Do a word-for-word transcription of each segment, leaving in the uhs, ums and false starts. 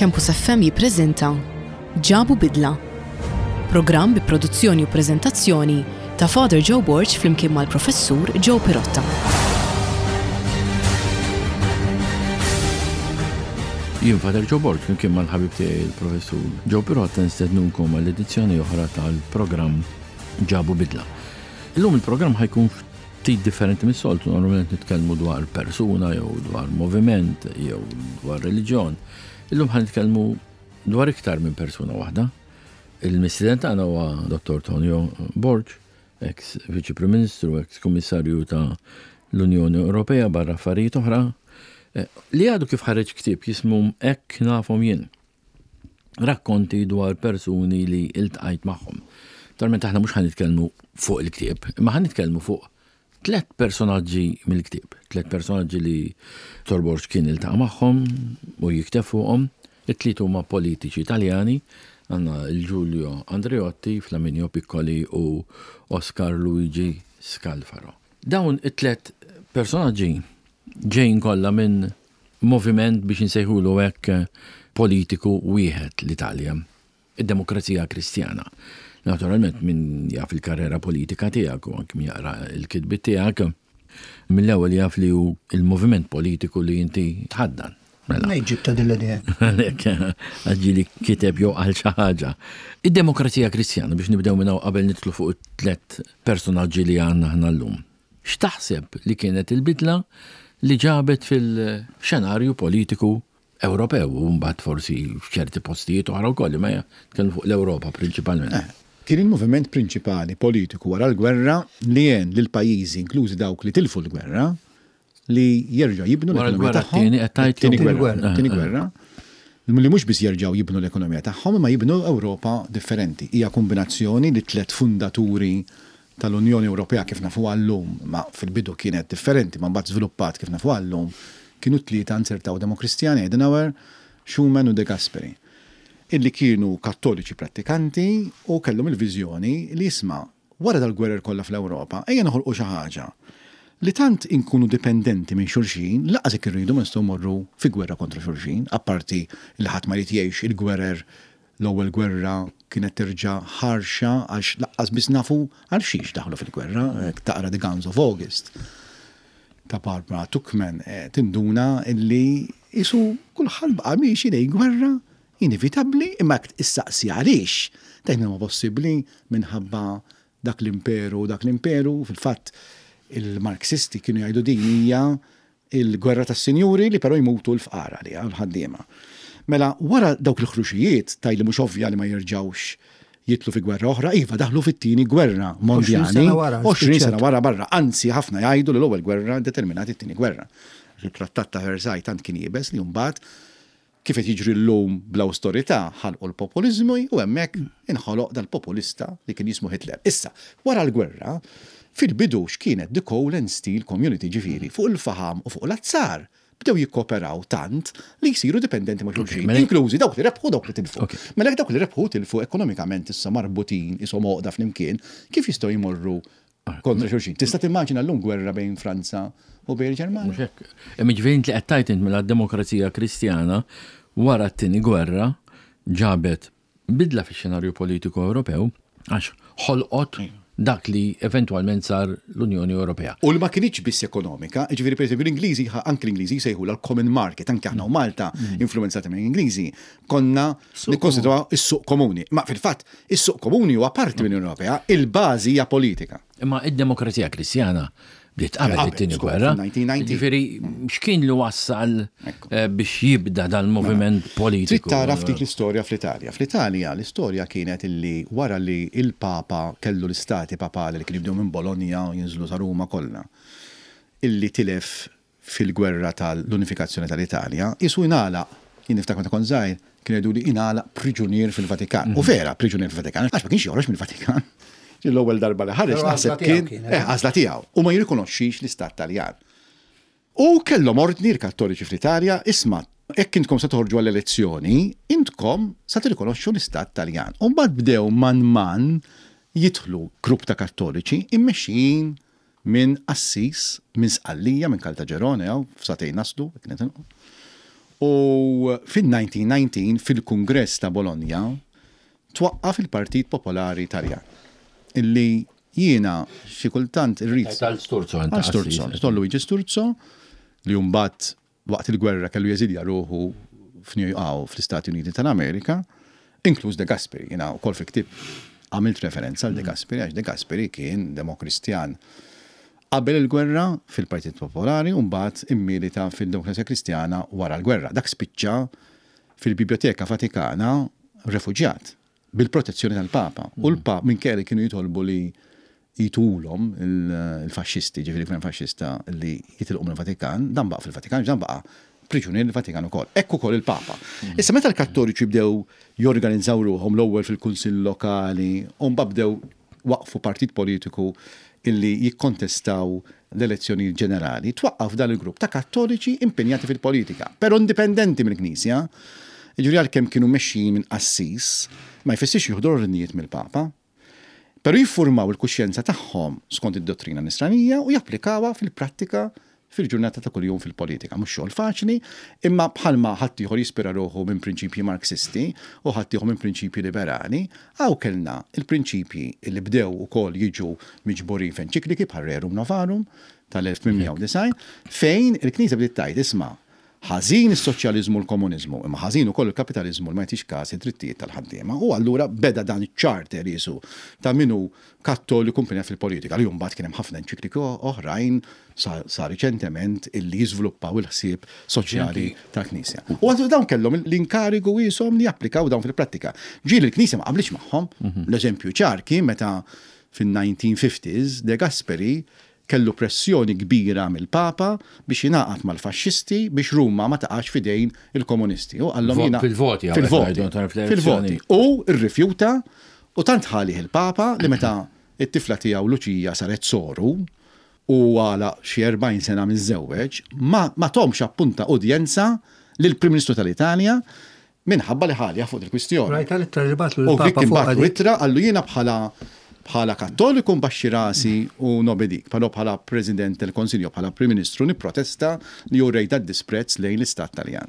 Campus F M jippreżenta Ġabu Bidla. Programm bi produzzjoni u preżentazzjoni ta' Father Joe Borg flimkien mal-Professur Joe Pirotta. Jien Father Joe Borg flimkien mal-ħabib tiegħi il-Professur Joe Pirotta nistednukom għall-edizzjoni oħra tal-programm Ġabu Bidla. Illum il-programm ħa jkun ftit differenti mis-soltu, normalment nitkellmu dwar persuna jew dwar moviment jew dwar reliġjon. Illum ħa nitkellmu dwar iktar minn persuna waħda. Il-mistieden tagħna huwa Dottor Tonio Borg, ex Viċi Prim Ministru, ex Kummissarju ta' l-Unjoni Ewropea barra affarijiet oħra, eh, li għadu kif ħareġ ktieb jismu Hekk Nafhom Jien. Rakkonti dwar persuni li iltqajt magħhom. Talment aħna mhux ħa nitkellmu fuq il-ktieb, imma ħa nitkellmu fuq tlet personaġġi mill-ktieb, tlet personaġġi li Dottor Borg kien iltaqa' magħhom u jikteb fuqhom. It-tliet huma politiċi Italjani, għandna il-Giulio Andreotti, Flaminio Piccoli u Oscar Luigi Scalfaro. Dawn it-tlet personaġġi ġejjin kollha minn moviment, biex insejħulu hekk, politiku wieħed, l-Italja, id-Demokrazija Kristjana. Naturalment, min jaf il-karriera politika tiegħek u anke min jaqra l-kitbiet tiegħek, mill-ewwel jaf li hu il-moviment politiku li inti tħaddan. Mela. Nejġib ta' din l-idea. Għalhekk għaġġili kiteb jew għal xi ħaġa. Id-Demokrazija Kristjana, biex nibdew minn hawn qabel nidħlu fuq it-tlet personaġġi li għandna aħna llum. X'taħseb li kienet il-bidla li ġabet fil-xenarju politiku Ewropew u mbagħad forsi f'ċerti postijiet oħra wkoll, imma nitkellmu fuq l-Ewropa prinċipalment? Eh, Kien il-moviment prinċipali politiku wara l-gwerra li għen lil pajjiżi, inklużi dawk li tilfu l-gwerra, li jerġgħu jibnu Wara l-ekonomija l-gwerra tagħhom. t-tieni qed tgħid? Tieni Tieni gwerra. gwerra. Tieni Eh, eh. gwerra. Li mhux biss jerġgħu jibnu l-ekonomija tagħhom, imma jibnu Ewropa differenti. Hija kombinazzjoni li tliet fundaturi tal-Unjoni Ewropea kif nafu llum, ma fil-bidu kienet differenti, ma mbagħad żviluppat kif nafu llum, kienu tlieta nzertaw Demokristjani, Adenauer, Schuman u De Gasperi, illi kienu kattoliċi prattikanti u kellhom il-viżjoni li, isma', wara dal-gwerer kollha fl-Ewropa, ejja noħolqu xi ħaġa li tant inkunu dipendenti minn xulxin, lanqas jekk irridu ma nistgħu morru fi gwerra kontra xulxin, apparti li ħadd ma jrid jgħix il-gwerer. L-ewwel gwerra kienet terġa' ħarxa għax lanqas biss nafu għal xiex daħlu fil-gwerra, jekk taqra The Guns of August ta' Barbara Tuchman, eh, tinduna illi isu kulħadd baqa' miexi lejn gwerra inevitabbli, imma jekk issaqsi għaliex, tgħid ma possibbli minħabba dak l-imperu, dak l-imperu, fil-fatt il-Marxisti kienu jgħidu din hija il-gwerra tas-sinjuri li però jmutu l-fqara li l-ħaddiema. Mela, wara dawk il-ħruxijiet, tgħid li mhux ovvja li ma jerġgħux jidħlu fi gwerra oħra, iva, daħlu fit-tieni gwerra mondjali. sena wara, għoxrin sena spiċċat. wara barra, anzi ħafna jgħidu li l-ewwel gwerra determinat it-tieni gwerra. Il-Trattat ta' Versailles tant kien iebes li mbagħad, kif qed jiġri llum bl-awsterità, ħalqu l-populizmu u hemmhekk inħoloq dal-populista li kien jismu Hitler. Issa, wara l-gwerra, fil-bidu x'kienet the Coal and Steel Community, ġifieri, fuq il-faham u fuq l-azzar, bdew jikkoperaw tant li jsiru dipendenti ma' xulxin, mela- inklużi dawk li rebħu, dawk li tilfu. Ok. Mela jekk dawk li rebħu tilfu ekonomikament issa marbutin ishom għoqda flimkien, kif jistgħu jmorru kontra xulxin? Tista' timmaġina llum gwerra bejn Franza u bejn il-Ġermanja? Mhux hekk. Imma ġifieri inti qed tgħid int mela d-Demokrazija Kristjana wara t-tieni gwerra ġabet bidla fix-xenarju politiku Ewropew għax ħolqot dak li eventwalment sar l-Unjoni Ewropea. U li ma kinitx biss ekonomika, ġifieri per esempio l-Ingliżi, anke l-Ingliżi jsejħu l-common market, anke aħna u Malta influenzati minn Ingliżi, konna nikkonsidraw is-suq komuni. Ma fil-fatt, is-suq komuni huwa parti mill-Unjoni Ewropea, il-bażi hija politika. Imma id-Demokrazija Kristjana bdiet qabel Qabel, it-tieni żgur, gwerra. fil-elf disa' mija u tmintax. Ġifieri x'kien li wassal Ekku. eh, biex jibda dal-moviment politiku? Trid tara ftit l-istorja fl-Italja. Fl-Italja l-istorja kienet illi wara li il-Papa kellu l-istati papali li kienu jibdew minn Bologna u jinżlu sa Ruma kollha, illi tilef fil-gwerra tal-unifikazzjoni tal-Italja, isu ingħalaq, jien niftakar meta kont żgħir, kienu jgħidu li ingħalaq priġunier fil-Vatikan. U vera, priġunier fil-Vatikan, għax ma kienx joħroġ mill-Vatikan. L-ewwel darba li ħareġ Però naħseb għażla tiegħu kien kienet. eh, għażla tiegħu u ma jirrikonoxxix l-istat Taljan. U kellhom ordni l-Kattoliċi fl-Italja, isma', jekk intkom se toħorġu għall-elezzjoni, intkom sa tirrikonoxxu l-istat Taljan. U mbagħad bdew man man jidħlu grupp ta' Kattoliċi immexxijin minn qassis minn Sqallija, minn Caltagirone, jew f'satejn naslu, kienet inqu. U fil-elf disa' mija u dsatax, fil-Kungress ta' Bologna, twaqqaf il-Partit Popolari Italjan. Illi jiena xi kultant irrid Tal Sturzo. Għal Sturzo, Don Luigi Sturzo, li mbagħad waqt il-gwerra kellu jeżilja ruħu f'New York, fl-Istati Uniti tal-Amerika, inkluż De Gasperi. Jiena wkoll fi ktib għamilt referenza għal De Gasperi, għax De Gasperi kien demokristjan qabel il-gwerra fil-Partit Popolari u mbagħad immilita fil-Demokrazija Kristjana wara l-gwerra. Dak spiċċa fil-Biblioteka Vatikana refuġjat bil-protezzjoni tal-Papa. U l-Papa minkejja li kienu jitolbu li jtulhom il-faxxisti, ġifieri gvern faxxista, li jitilqu mill-Vatikan, dan baqa' fil-Vatikan, dan baqa' priġunier il-Vatikan ukoll. Ekku ukoll il-Papa. Issa meta l-Kattoliċi bdew jorganizzaw ruħhom l-ewwel fil-kunsill lokali, u mbagħad bdew waqfu partit politiku illi jikkontestaw l-elezzjoni ġenerali, twaqqaf dan il-grupp ta' Kattoliċi impenjati fil-politika, però indipendenti mill-Knisja. Ġifieri għalkemm kienu mexxin minn qassis, ma jfissirx jieħdu ordnijiet mill-Papa. Però jiffurmaw il-kuxjenza tagħhom skont id-dottrina nisranija u japplikawha fil-prattika fil-ġurnata ta' kuljum fil-politika. Mhux xogħol faċli, imma bħalma ħaddieħor jispira ruħu minn prinċipji Marxisti u ħaddieħor minn prinċipji liberali, hawn kellna il-prinċipji li bdew ukoll jiġu miġburin f'enċikliki bħal Rerum Novarum tal-elf tmien mija u disgħin, fejn il-Knisja bdiet tgħid, "Isma', ħażin is-soċjaliżmu u l-komuniżmu, imma ħażin ukoll il-kapitaliżmu li ma jagħtix każ id-drittijiet tal-ħaddiema." U allura beda dan iċ-charter jisu ta' min hu Kattoliku impenjat fil-politika, li mbagħad kien hemm ħafna enċikliki oħrajn sa, sa riċentement illi jiżviluppaw il-ħsieb soċjali tal-Knisja. U għadu dawn kellhom l-inkarigu jisom li japplikaw dawn fil-prattika. Ġieli l-Knisja ma qablitx magħhom. L-eżempju ċar kien meta fin-nineteen fifties De Gasperi kellu pressjoni kbira mill-Papa biex jingħaqad mal-faxxisti biex Ruma ma taqax fidejn il-komunisti. U qallhom Vo- jiena fil-voti, għawek fil-voti. ngħidu, tarf Fil-voti. l-elezzjoni. U rrifjuta u tant ħalih il-Papa li meta it-tifla tiegħu Luċija saret soru u għala xi erbgħin sena miżżewweġ, ma, ma tahomx appunta udjenza lill-Prim Ministru tal-Italja minħabba li ħalja fuq il-kwistjoni. Rajta l-ittra li bagħatlu U dik l-Papa fuq imbagħad għadi. Ittra qallu, "Jiena bħala bħala Kattoliku mbaxxi rasi u nobedik, però bħala President del Consiglio, bħala Prim Ministru nipprotesta li urejt disprezz lejn l-Istat Taljan."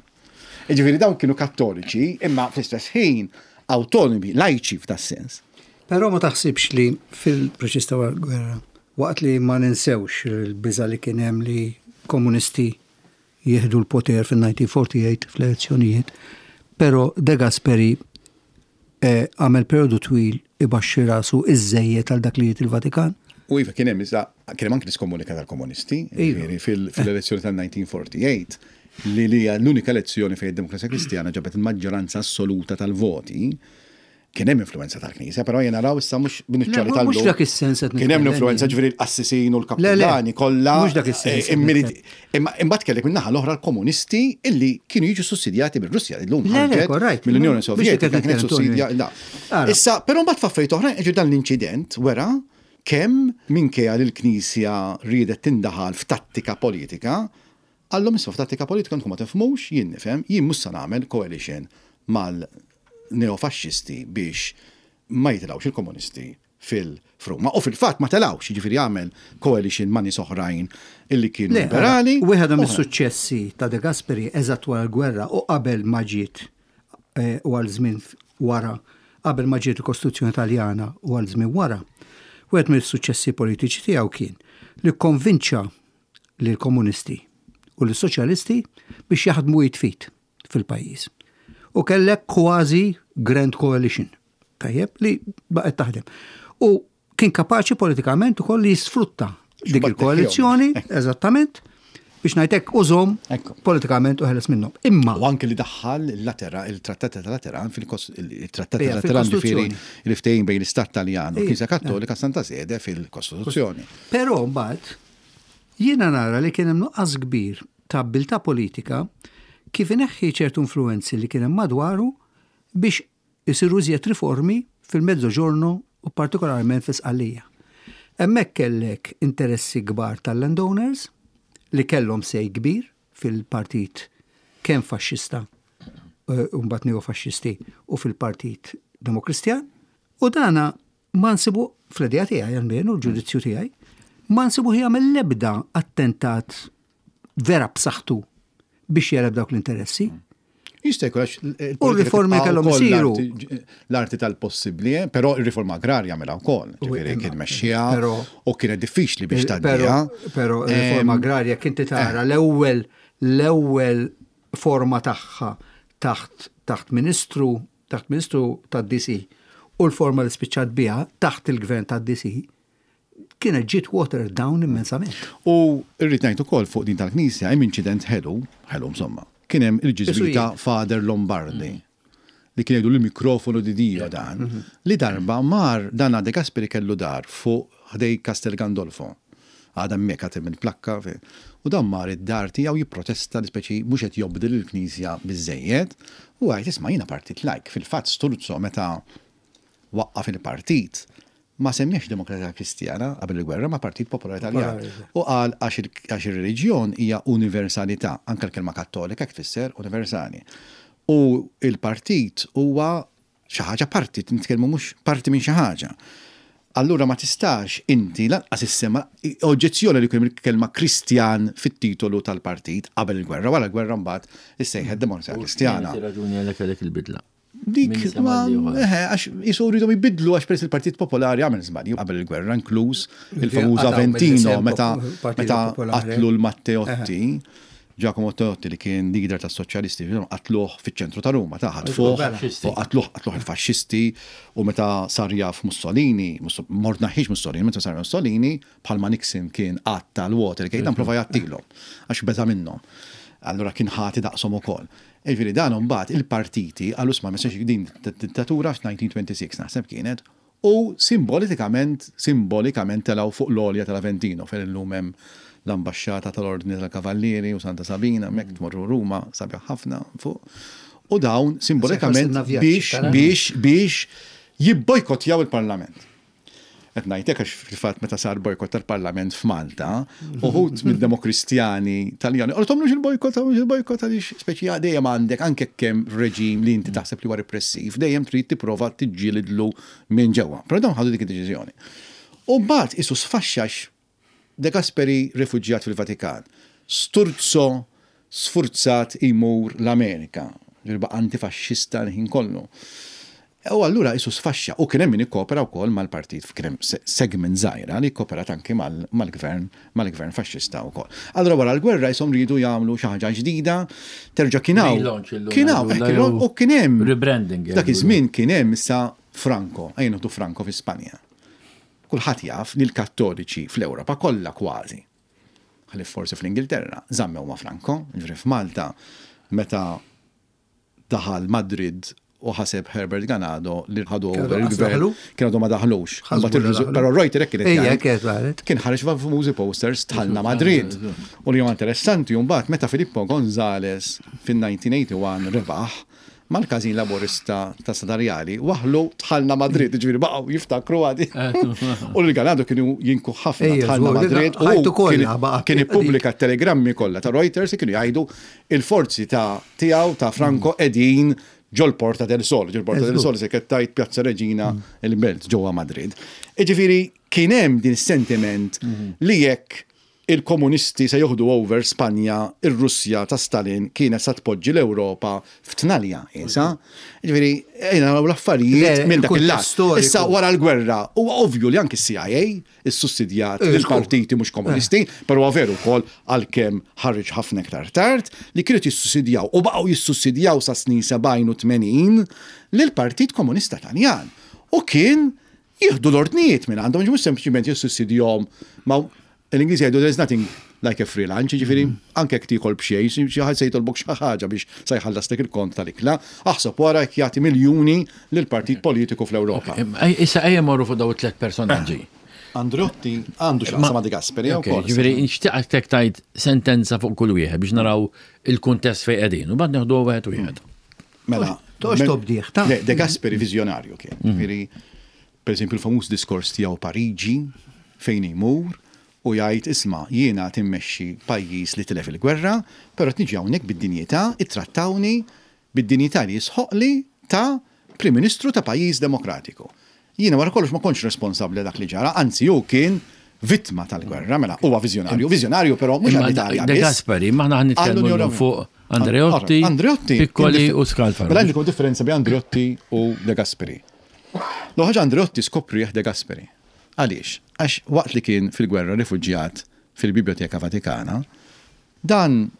Ġifieri dawn kienu Kattoliċi, imma fl-istess ħin autonomi, lajċi f'das-sens. Però ma taħsibx li fil-proċess ta' gwerra, waqt li ma ninsewx il-biża li kien hemm li komunisti jieħdu l-poter fil-elf disa' mija u erbgħa u erbgħin fl-elezzjonijiet, però De Gasperi eh, għamel periodu twil ibaxxi rasu iżżejjed għal dak li jgħid il-Vatikan. U iva, kien hemm iżda kien hemm anke l-iskomunika tal-komunisti, Iva. ġifieri fil- fil-elezzjoni tal-elf disa' mija u erbgħa u erbgħin, li li hija l-unika elezzjoni fejn id-Demokrazija Kristjana ġabet il-maġġoranza assoluta tal-voti, kien hemm influenza tal-Knisja, però jien naraw issa mhux bin-nuċċali Le, tal mhux dak is-sens qed Kien hemm nitkellem l-influenza, jien. ġifieri l-qassisin u Le, le, l-kappillani kollha. mhux dak is-sens eh, qed immiliti- nitkellem. Imma imbagħad kellek min-naħa l-oħra l-komunisti illi kienu jiġu sussidjati bir-Russja, illum Le, le, ħarġet correct. mill-Unjoni Mhux dik Sovjetika qed kienet nitkellem, sussidja. Tony. la. Ara. Issa, però mbagħad f'affarijiet oħrajn, ġu dan l-inċident wera kemm minkejja li l-Knisja riedet tindaħal f'tattika politika, qallhom, "Isma', f'tattika politika intom ma tifhmux, jien nifhem, jien mhux se nagħmel coalition mal-neofaxxisti biex ma jitilgħux il-komunisti fil-Ruma." U fil-fatt ma telgħux, jiġifieri għamel coalition ma' nies oħrajn illi kienu Le, liberali. wieħed Oħra. mis-suċċessi ta' De Gasperi eżatt wara l-gwerra u qabel ma ġiet eh, u għal żmien wara, qabel ma ġiet il-Kostituzzjoni Taljana u għal żmien wara, wieħed mill-suċċessi politiċi tiegħu kien li konvinċa lil komunisti u l soċjalisti biex jaħdmu id f'id fil-pajjiż. U kellek kważi Grand Coalition, tajjeb, li baqgħet taħdem. U kien kapaċi politikament ukoll li jisfrutta dik X'bat il-koalizzjoni, eżattament, biex ngħidlek użahom Ekku. politikament u ħeles minnhom. Imma U anke li daħħal il-Latera, il-Trattat ta' Lateran, il-Trattat ta' Ija, Lateran, ġifieri fil-Kostituzzjoni. il-ftehim bejn l-Istat Taljan u Ija, Knisja Kattolika, Santa Sede fil-Kostituzzjoni. Però mbagħad jiena nara li kien hemm nuqqas kbir ta' abbiltà politika kif ineħħi ċertu influenzi li kien hemm madwaru biex isiru iżjed riformi fil-Mezzoġorno u partikolarment fi Sqallija. Hemmhekk kellek interessi kbar tal-landowners li kellhom say kbir fil-partit kemm faxxista eh, u mbagħad neofaxxisti u fil-Partit Demokristjan, u dana ma nsibu fl-idea tiegħi almenu, l-ġudizzju tiegħi, ma nsibu jagħmel l-ebda attentat vera b'saħħtu biex jeleb dawk l-interessi. Jista' jkun għax U r-riformi kellhom isiru. L-arti tal-possibbli, eh, però ir-riforma agrarja mela wkoll, ġifieri kien mexxija u kienet diffiċli biex tgħaddiha. Però r-riforma agrarja kien tara l-ewwel l-ewwel forma tagħha taħt taħt ministru taħt ministru tad-D C u l-forma li spiċċat biha taħt il-gvern tad-D C kienet ġiet watered down immensament. U rrid ngħid ukoll fuq din tal-Knisja hemm inċident ħelu, ħelu insomma. Kien hemm il-ġiżwita Father Lombardi li kien jgħidu l-mikrofonu di Dio dan, li darba mar dan De Gasperi kellu dar fuq ħdej Castel Gandolfo. Għadha hemmhekk, għad hemm il-plakka. U dan mar id-dar tiegħu jipprotesta li speċi mhux qed jobdi lill-Knisja biżejjed u għajt, "Isma', jiena partit lajk." Fil-fatt Sturzo meta waqqaf il-partit ma semmiex Demokratika Kristjana qabel il-gwerra, ma Partit Popolari Italjan. U qal għax ir-reliġjon hija universalità, anke l-kelma kattolika tfisser universali. U il-partit huwa xi ħaġa partit, nitkellmu mhux parti minn xi ħaġa. Allura ma tistax inti lanqas issema oġġezzjoni li kien il-kelma Kristjan fit-titolu tal-partit qabel il-gwerra, wara l-gwerra mbagħad issejħet Demokrazija Kristjana. Raġuni għalhekk għalhekk il-bidla. Dik, ma, eħe, għax jisu rridu jibidlu għax peress il-Partit Popolari għamel żbalji qabel il-gwerra, inkluż il-famuż Aventino meta meta qatlu l-Matteotti. Giacomo Matteotti li kien leader tas soċjalisti, qatluh fiċ-ċentru ta' Ruma, ta' ħatfuh, u qatluh qatluh il-faxxisti u meta sar jaf Mussolini, mort naħħiex Mussolini, meta sar Mussolini, bħalma Nixon kien qatta l-Watergate, dan prova jgħattilhom għax beża minnhom. Allura kien ħati daqshom ukoll. Ġifieri dan mbagħad il-partiti għallu sma messaġ din dittatura f'elf disa' mija u sitta u għoxrin naħseb kienet u simbolikament simbolikament telgħu fuq l-għolja tal-Aventino fejn illum hemm l-ambasċata tal-Ordni tal-Kavallieri u Santa Sabina, hemmhekk tmorru Ruma, sabiħ ħafna fuq. U dawn simbolikament biex biex biex jibbojkotjaw il-Parlament. Qed ngħidlek għax fil-fatt meta sar bojkott tal-Parlament f'Malta, uħud mid-Demokristjani Taljani, qalu tagħmlux il-bojkott, tagħmlux il-bojkott għaliex speċi dejjem għandek anke kemm reġim li inti taħseb li huwa repressiv, dejjem trid tipprova tiġġielidlu minn ġewwa. Però dawn ħadu dik id-deċiżjoni. U mbagħad isu sfaxxax De Gasperi rifuġjat fil-Vatikan. Sturzo sfurzat imur l-Amerika, ġirba antifaxxista l-ħin kollu. U allura isu sfaxxa u kien hemm min ikkopera wkoll mal-partit, kien hemm segment żgħira li kkoperat anki mal-gvern mal-gvern faxxista wkoll. Allura wara l-gwerra jisom ridu jagħmlu xi ħaġa ġdida, terġa' kien hawn. Kien hawn u kien hemm. Rebranding. Dak iż-żmien kien hemm issa Franco, ejja nieħdu Franco fi Spanja. Kulħadd jaf li l-Kattoliċi fl-Ewropa kollha kważi, ħlief forsi fl-Ingilterra, żammew ma' Franco, ġifieri f'Malta meta daħal Madrid u ħaseb Herbert Ganado li ħadu over il-gvern, kien għadu ma daħlux. Però Reuter kienet kien ħareġ famużi posters "Dħalna Madrid". U li huwa interessanti mbagħad meta Filippo González fin-elf disa' mija u wieħed u tmenin rebaħ mal-każin laborista ta' Strada Rjali, waħlu "Dħalna Madrid", ġifieri baqgħu jiftakru għadi. U l-Ganado kienu jinku ħafna "Dħalna Madrid" u kien ippubblika telegrammi kollha ta' Reuters kienu jgħidu il-forzi ta' tiegħu ta' Franco qegħdin ġol Porta del Sol, ġol Porta del Sol se tajt Piazza Regina il-Belt ġewwa Madrid. Iġifieri kien hemm din sentiment li jekk il-komunisti se joħdu over Spanja, ir-Russja ta' Stalin kienet sa tpoġġi l-Ewropa f'tnalja, isa. Ġifieri, ejna l-affarijiet minn dak il-lat. Issa wara l-gwerra, huwa ovvju li anki C I A issussidjat il-partiti mhux komunisti, però veru wkoll għalkemm ħareġ ħafna iktar tard li kienu jissussidjaw u baqgħu jissussidjaw sa snin sebgħin u tmenin lill-Partit Komunista Taljan. U kien jieħdu l-ordnijiet minn għandhom, mhux sempliċiment jissussidjahom, ma l-Ingliżi jgħidu "there's nothing like a free lunch", ġifieri anke jekk tiekol b'xejn, xi ħadd se jitolbok xi ħaġa biex sa jħallaslek il-kont tal-ikla, aħseb wara jekk jagħti miljuni lil partit politiku fl-Ewropa. Issa ejja morru fuq daw it-tliet personaġġi. Andreotti għandu x'jaqsam ma' De Gasperi wkoll. Ġifieri nixtieq tajt sentenza fuq kull wieħed biex naraw il-kuntest fejn qegħdin u bad neħdu wieħed wieħed. Mela, Toqgħodx tobdih, ta' De Gasperi viżjonarju kien. Ġifieri, per eżempju, il-famuż diskors tiegħu Pariġi fejn imur u jgħid, "Isma', jiena timmexxi pajjiż li tilef il-gwerra, però niġi hawnhekk bid-dinjità, ittrattawni bid-dinjità li jisħoqli ta' Prim Ministru ta' pajjiż demokratiku. Jiena wara kollox ma kontx responsabbli dak li ġara", anzi hu kien vittma tal-gwerra, mela huwa viżjonarju, viżjonarju però mhux għall-Italja. De Gasperi, ma aħna nitkellmu fuq Andreotti, Andreotti Piccoli u Scalfaro. Mela għandkom differenza bejn Andreotti u De Gasperi. L ħaġa Andreotti skoprih De Gasperi. Għaliex? Għax waqt li kien fil-gwerra rifuġjat fil-Biblioteka Vatikana, dan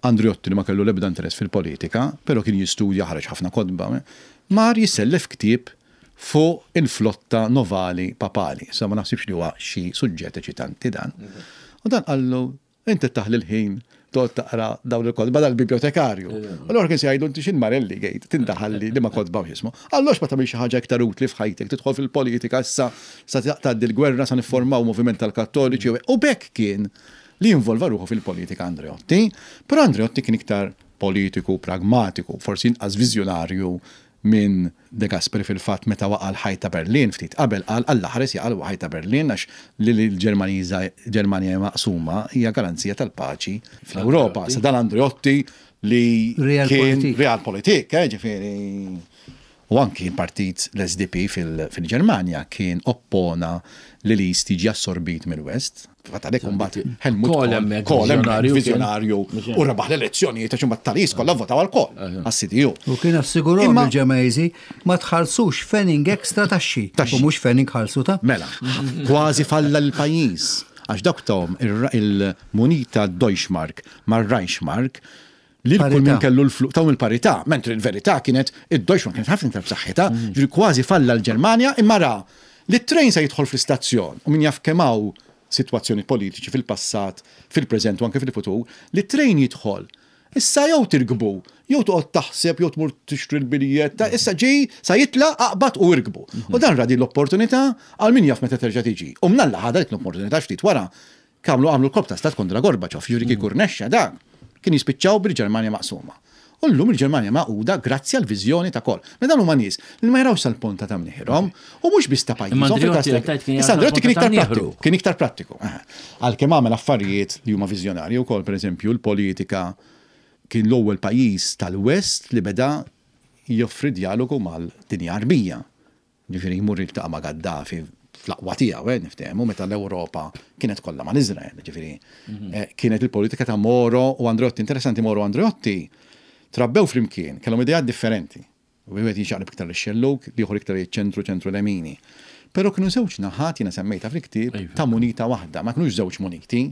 Andreotti li ma kellu l-ebda interess fil-politika, però kien jistudja, ħareġ ħafna kotba, mar jissellef ktieb fuq il-flotta navali papali. Sa ma naħsibx li huwa xi suġġett eċitanti dan. U dan qallu, "Inti taħli l-ħin toqgħod taqra dawn il-kotba," dal-bibliotekarju. Allora kien se jgħidu, "Inti xin Marelli gejt, tindaħalli li ma kotba u x'jismu. Allora ma tagħmel xi ħaġa iktar utli f'ħajtek, tidħol fil-politika issa sa tgħaddi l-gwerra, sa niffurmaw moviment tal-Kattoliċi." U bekk kien li involva ruħu fil-politika Andreotti, però Andreotti kien iktar politiku, pragmatiku, forsi inqas viżjonarju minn De Gasperi. Fil-fatt, meta waqa' l-ħajt ta' Berlin ftit qabel, qal, "Alla ħares jaqa' l-ħajt ta' Berlin, għax li l-Ġermaniża Ġermanja maqsuma hija garanzija tal-paċi fl-Ewropa." Sa dan Andreotti li kien realpolitik, eh, ġifieri. U anki il-partit l-S D P fil-Ġermanja kien oppona li l-East jiġi assorbit mill-West. Fatt għalhekk imbagħad Helmut Kohl vizjonarju u rebaħ l-elezzjonijiet, għax imbagħad tal-East kollha votaw għal Kohl għas-C D U. U kien assigurahom il-Ġermaniżi ma tħallsux pfennig ekstra taxxi. U mhux pfennig ħallsu ta' Mela, kważi falla l-pajjiż. Għax dak tahom il-munita Deutschmark mar-Reichsmark li kull min kellu l-flus tahom il-parità, mentri il-verità kienet id-Deutschmark kienet ħafna iktar b'saħħitha, ġifieri kważi falla l-Ġermanja, imma ra li t-train se jidħol fl-istazzjon u min jaf kemm hawn sitwazzjoni politiċi fil-passat, fil-preżent u anke fil-futur, li t-train jidħol. Issa jew tirkbu, jew toqgħod taħseb, jew tmur tixtri l-biljett, issa ġej sa jitla, aqbad u irkbu. U dan ra din l-opportunità għal min jaf meta terġa' tiġi. U mnalla ħadha dik l-opportunità. Ftit wara kamlu għamlu l-kolp ta' stat kontra Gorbaċov, ġifieri kieku rnexxa dan, kien jispiċċaw bil-Ġermanja maqsuma. U llum il-Ġermanja magħquda grazzi għal viżjoni ta' Kohl. Ma dan huma nies li ma jarawx sal-ponta ta' mniħirhom u mhux biss ta' pajjiżhom. Issa Andreotti kien iktar prattiku, kien iktar prattiku. Għalkemm għamel affarijiet li huma viżjonarji wkoll, pereżempju l-politika, kien l-ewwel pajjiż tal-West li beda joffri dialogu mal-dinja Għarbija. Ġifieri jmur jiltaqa' ma' Gaddafi fl-aqwa tiegħu, eh, niftehmu, meta l-Ewropa kienet kollha ma' Izrael, ġifieri eh, kienet il-politika ta' Moro u Andreotti. Interessanti, Moro u Andreotti trabbew flimkien, kellhom ideat differenti. Wieħed jixaqleb iktar ix-xellug, l-ieħor iktar iċ-ċentru, ċentru lemini. Però kienu żewġ naħat, jiena semmejta fil-ktieb, ta' munita waħda, ma kienux żewġ muniti.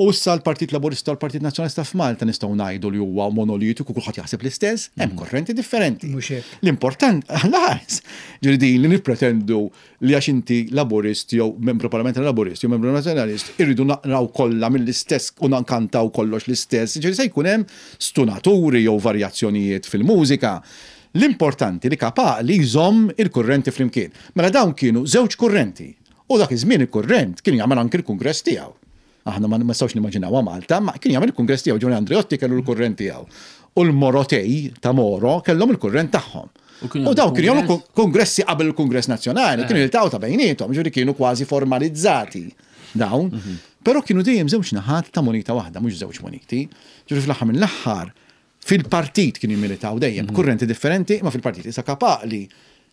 U issa l-Partit Laburista u l-Partit Nazzjonalista f'Malta nistgħu ngħidu li huwa monolitiku, kulħadd jaħseb l-istess, hemm korrenti differenti. L-important, lanqas, ġifieri din li nippretendu li għax inti Laburist jew membru parlamentari Laburist jew membru Nazzjonalist irridu naqraw kollha mill-istess u nkantaw kollox l-istess, ġifieri se jkun hemm stunaturi jew varjazzjonijiet fil-mużika. L-importanti li kapa li jżomm il-kurrenti flimkien. Mela dawn kienu żewġ kurrenti. U dak iż-żmien il-kurrent kien jagħmel anki l-kungress tiegħu. Aħna ma nistgħux nimmaġinaw Malta, ma kien jagħmel il-kungress tiegħu. Ġifieri Andreotti kellu l-kurrent tiegħu. U l-Morotej ta' Moro kellhom il-kurrent tagħhom. U dawn kienu jagħmlu kongressi qabel il-Kongress Nazzjonali, kienu jiltaqgħu ta' bejniethom, ġifieri kienu kważi formalizzati dawn. Però kienu dejjem żewġ naħat ta' moneta waħda, mhux żewġ moneti. Ġifieri fl-aħħar mill-aħħar fil-partit kienu jmilitaw dejjem, kurrenti differenti, ma fil-partit. Issa kapali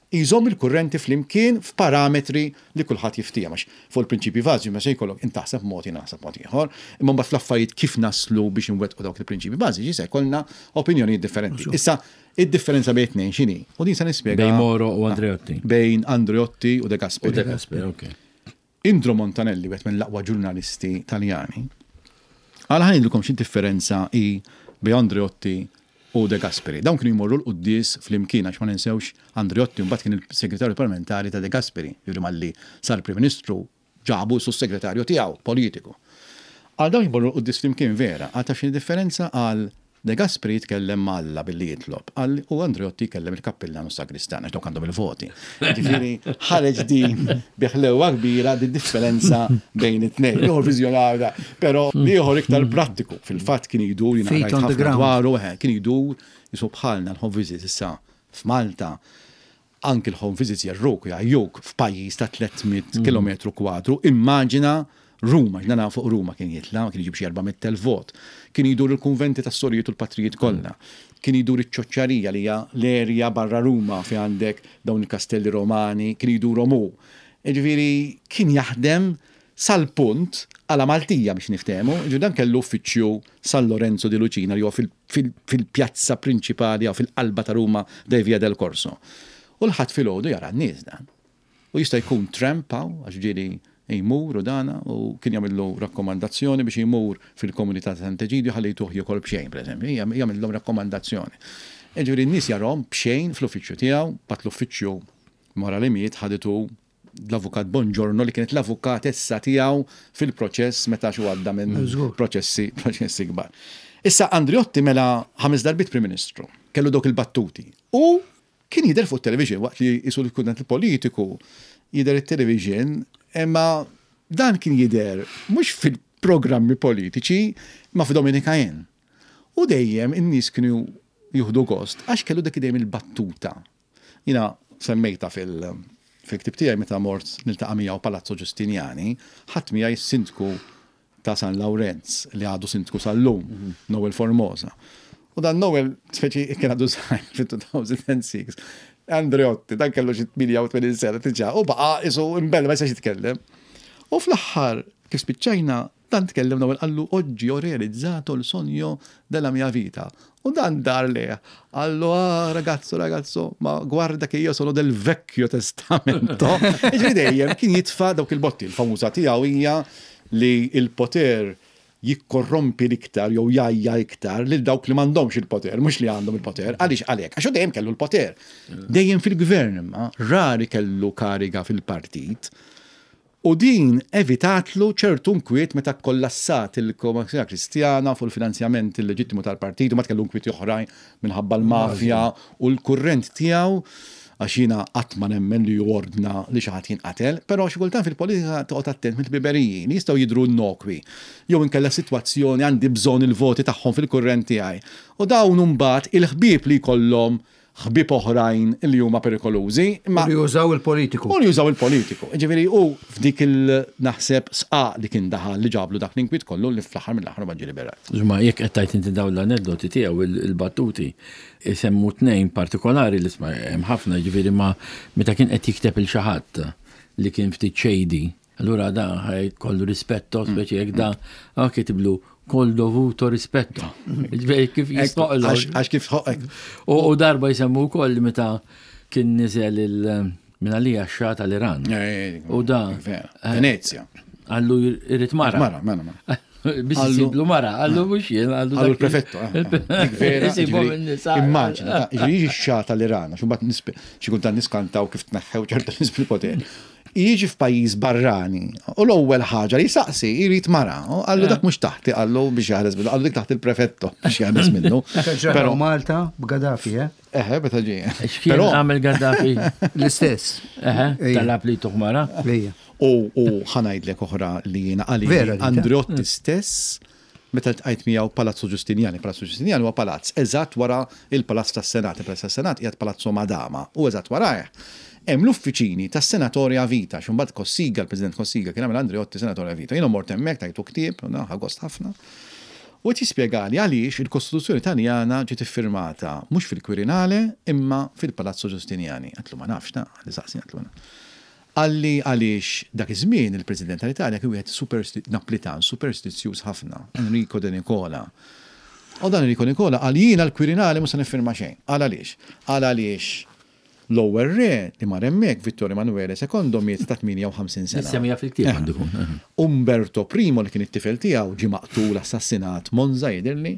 jżomm il-kurrenti flimkien f'parametri li kulħadd jiftiehem, għax fuq il-prinċipji bażiċi ma se jkollok int taħseb mod, jiena naħseb mod ieħor, imma mbagħad fl-affarijiet kif naslu biex inwettqu dawk il-prinċipji bażiċi se jkollna opinjonijiet differenti. Issa id-differenza bejn tnejn x'inhi? U din se nispjega. Bejn Moro u Andreotti. Bejn Andreotti u De Gasperi. U De Gasperi, ok. Indro Montanelli, wieħed minn l-aqwa ġurnalisti Taljani, qal, "Ħa ngħidilkom xi differenza hi bejn Andreotti u De Gasperi." Dawn kienu jmorru l-quddies flimkien, għax ma ninsewx Andreotti mbagħad kien il-segretarju parlamentari ta' De Gasperi, jiġri malli sar Prim Ministru ġabu s-segretarju tiegħu politiku. Għal dawn jmorru l-quddies flimkien vera, għal taf xi differenza? Għal De Gasperi jitkellem m'Alla billi jitlob, għal u Andreotti jkellem il-kappillan u sagristan, għax dawk għandhom il-voti. Ġifieri ħareġ din bi ħlewwa kbira di differenza bejn it-tnejn. Ieħor viżjonarja, però ieħor iktar prattiku. Fil-fatt kien jdur, jiena rajt ħafna dwaru, kien jdur jisu bħalna l-home visits issa f'Malta, anki l-home visits jerruk, jgħajjuk f'pajjiż ta' tliet mitt kilometru kwadru, immaġina Ruma, ġnana fuq Ruma kien jitla, kien jġib xi erba' mitt elf vot. Kien jidur il-konventi tas sorijiet u l-patrijiet kollha. Kien jidur iċ-Ċoċċarija, li hija l-erja barra Ruma fi għandek dawn il-kastelli Romani, kien jidur hu. Ġifieri kien jaħdem Sal-punt, għala Maltija biex niftehmu, ġu dan kellu uffiċċju San Lorenzo di Lucina li huwa fil-pjazza prinċipali jew fil-qalba ta' Ruma dej Via del Corso. U l-Ħadd filgħodu jara n-nies dan. U jista' jkun tramp hawn, għax ġieli jmur u dana, u kien jagħmillu rakkomandazzjoni biex jmur fil-komunità ta' Sant'Eġidju ħalli jtuh jiekol b'xejn, pereżempju, jagħmilhom rakkomandazzjoni. Ġifieri n-nies jarahom b'xejn fl-uffiċċju tiegħu, bat l-uffiċċju wara li miet ħaditu l-avukat Bongiorno li kienet l-avukatessa tiegħu fil-proċess meta xu għadda minn proċessi proċessi kbar. Issa Andreotti mela ħames darbiet Prim Ministru, kellu dawk il-battuti. U kien jidher fuq television waqt li jisu l-kuntent politiku jidher it-television, imma dan kien jidher mhux fil-programmi politiċi ma fi Dominika Jen. U dejjem in-nies kienu jieħdu gost għax kellu dak dejjem il-battuta. Jiena semmejta fil- fil-ktib tiegħi meta mort niltaqa' miegħu Palazzo Giustiniani, ħadd miegħi s-sindku ta' San Lawrenz li għadu sindku sal-lum, Noel Formosa. U dan Noel, speċi kien għadu żgħir fil-elfejn u sitta, Andreotti, dan kellu xi tmienja u tmenin sena diġà, u baqa' isu imbella ma jistax jitkellem. U fl-aħħar, kif spiċċajna, dan tkellem Noel qallu oggi ho realizzato il sogno della mia vita. U dan dar lejh, qallu, ah, ragazzo, ragazzo, ma guarda che io sono del vecchio testamento. Ġifieri dejjem kien jitfa' dawk il-botti, il-famuża tiegħu hija li il-poter jikkorrompi l-iktar jew jgħajja iktar lil dawk li m'għandhomx il-poter, mhux li għandhom il-poter. Għaliex għalhekk? Għax hu dejjem kellu l-poter. Dejjem fil-gvern imma, rari kellu kariga fil-partit. U din evitatlu ċertu nkwiet meta kollassat il-Komunità Kristjana fuq il-finanzjament illeġittimu tal-partit u ma kellu nkwiet oħrajn minħabba l-mafja u l-kurrent tiegħu, għax jiena qatt ma nemmen li jordna li xi ħadd jinqatel, però xi kultant fil-politika toqgħod attent mill-biberiji li jistgħu jidhru innokwi. Jew inkella sitwazzjoni għandi bżonn il-voti tagħhom fil-kurrent tiegħi. U dawn imbagħad il-ħbieb li jkollhom ħbieb oħrajn li huma perikolużi, imma U li jużaw il-politiku. U li jużaw il-politiku. Ġifieri u f'dik il-naħseb sqaq li kien daħal li ġablu dak l-inkwiet kollu li fl-aħħar mill-aħħar ma ġie liberat. Ġma, jekk qed tajt inti dawn l-aneddoti tiegħu il-battuti, isemmu tnejn partikolari li sma hemm ħafna, ġifieri ma meta kien qed jikteb il xi ħadd li kien ftit shady, allura da ħaj kollu rispetto, speċi jekk da ah, kitiblu col dovuto rispetto. Ġifieri kif jistoqlu. Għax kif ħoqek. U darba jsemmu wkoll meta kien niżel il minn għalija x-Xah tal-Iran. U da. Venezia. Qallu irrid mara. Mara, mara, mara. Biex jisiblu mara, qallu mhux jien, qallu Qallu l-prefetto. Dik vera. Immaġina, jiġi x-Xah tal-Iran, għax imbagħad xi kultant niskantaw kif tneħħew ċerta nies bil-poter. Jiġi f'pajjiż barrani u l-ewwel ħaġa li saqsi jrid mara. Qallu dak mhux taħti, qallu biex jaħles minnu, qallu dik taħt il-prefetto biex jaħles minnu. Però Malta b'Gaddafi, eh? Eħe, meta ġie. X'kien għamel Gaddafi? L-istess. Eħe, talab li tuħ mara. U ħa ngħidlek oħra li jiena għalli Andreotti stess meta ltqajt miegħu Palazzo Giustiniani. Palazzo Giustiniani huwa palazz eżatt wara il-Palazz tas-Senat. Il-Palazz tas-Senat qiegħed Palazzo Madama u eżatt warajh hemm l-uffiċini tas-Senatore a Vita, x'imbagħad Cossiga, il-President Cossiga, kien għamel Andreotti Senatore a Vita. Jiena mort hemmhekk tajtu ktieb, ħa gost ħafna. U qed jispjegali għaliex il-Kostituzzjoni Taljana ġiet iffirmata mhux fil-Quirinale imma fil-Palazzo Giustiniani. Għedtlu ma nafx ta' li saqsi għedtlu. Qalli għaliex dak iż-żmien il-President tal-Italja kien wieħed Naplitan superstizzjuż ħafna, Enrico De Nicola. U dan Enrico Nicola qal jiena l-Quirinale mhux se niffirma xejn. Qal għaliex? Qal għaliex l-ewwel re li mar hemmhekk Vittorio Emanuele secondo miet ta' tmienja u ħamsin sena. Semmija fil-ktieb għandu jkun. Umberto Primo li kien it-tifel tiegħu ġie maqtul assassinat Monza jidhirli.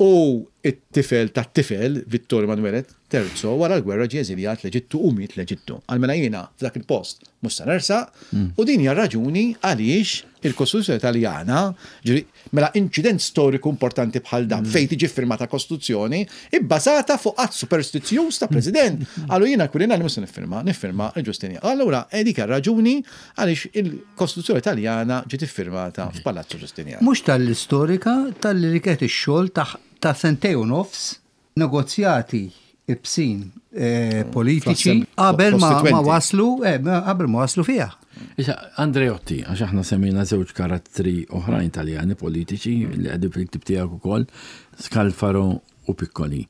U it-tifel tat-tifel Vittorio Emanuele Terzo wara l-gwerra ġie eżiljat l-Eġittu u miet l-Eġittu. Għal mela jiena f'dak il-post mhux se nersaq u din hija raġuni għaliex il-Kostituzzjoni Taljana, ġifieri, mela inċident storiku importanti bħal dan fejn tiġi firmata Kostituzzjoni ibbażata fuq att superstizzjuż ta' President. Qallu jiena Quirinale mhux se niffirma, niffirma il-Ġustinja. Allura dik raġuni għaliex il-Kostituzzjoni Taljana ġiet iffirmata f'Palazzo Giustiniani. Mhux tal-istorika, tal-li kienet ix-xogħol ta' sentej u nofs negozjati ibsin eh, politiċi qabel ma waslu eh, qabel ma waslu fiha. Issa, Andreotti, għax aħna semmejna żewġ karattri oħrajn Taljani politiċi li għadu fil-ktib tiegħek ukoll, Scalfaro u Piccoli.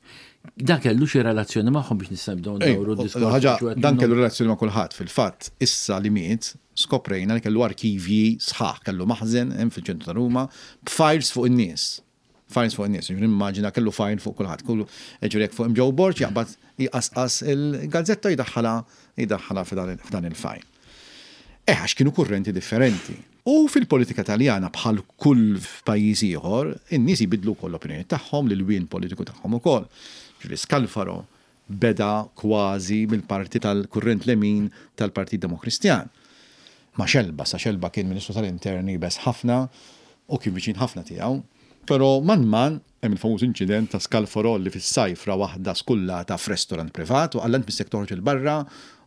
Dan kellu xi relazzjoni magħhom biex nista' nibdew ndawru d-diskors. Dan kellu relazzjoni ma' kulħadd. Fil-fatt, issa li miet, skoprejna li kellu arkivji sħaħ, kellu maħżen hemm fil-ċentru ta' Ruma b'files fuq in-nies. Files fuq in-nies, immaġina kellu file fuq kulħadd. Kullu ġifieri jekk fuq Joe Borg jaqbad jqasqas il-gazzetta jdaħħalha jdaħħalha f'dan il-file. Eh, għax kienu kurrenti differenti. U fil-politika Taljana, bħal kull pajjiż ieħor, in-nies jbidlu wkoll l-opinjoni tagħhom, l-wien politiku tagħhom ukoll. Ġifieri Scalfaro beda kważi mill-parti tal-kurrent lemin tal-Partit Demokristjan. Ma Xelba, sa Xelba kien Ministru tal-Interni bes ħafna u kien viċin ħafna tiegħu. Però man man hemm il-famuż inċident ta' Scalfaro li fis-sajf ra waħda skullata f'restorant privat u qalha missek toħroġ 'il barra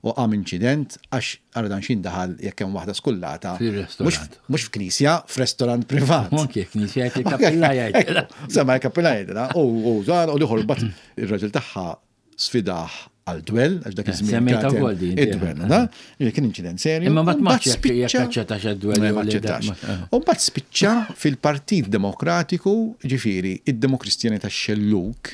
u qam inċident għax ara dan xin daħal jekk hemm waħda skullata. Fir-restorant. Mhux f'knisja, f'restorant privat. Anke knisja jgħid il-kappella jgħid. Sema l-kappella jgħidilha. U u l-ieħor bat ir-raġel tagħha sfidah għal dwell, għax dak iż-żmien. Semmejta wkoll din. Id-dwell, da? Kien inċident serju. Imma mbagħad ma jekk aċċettax id-dwell. Ma aċċettax. U mbagħad spiċċa fil-Partit Demokratiku, ġifieri, id-Demokristjani tax-Xelluk,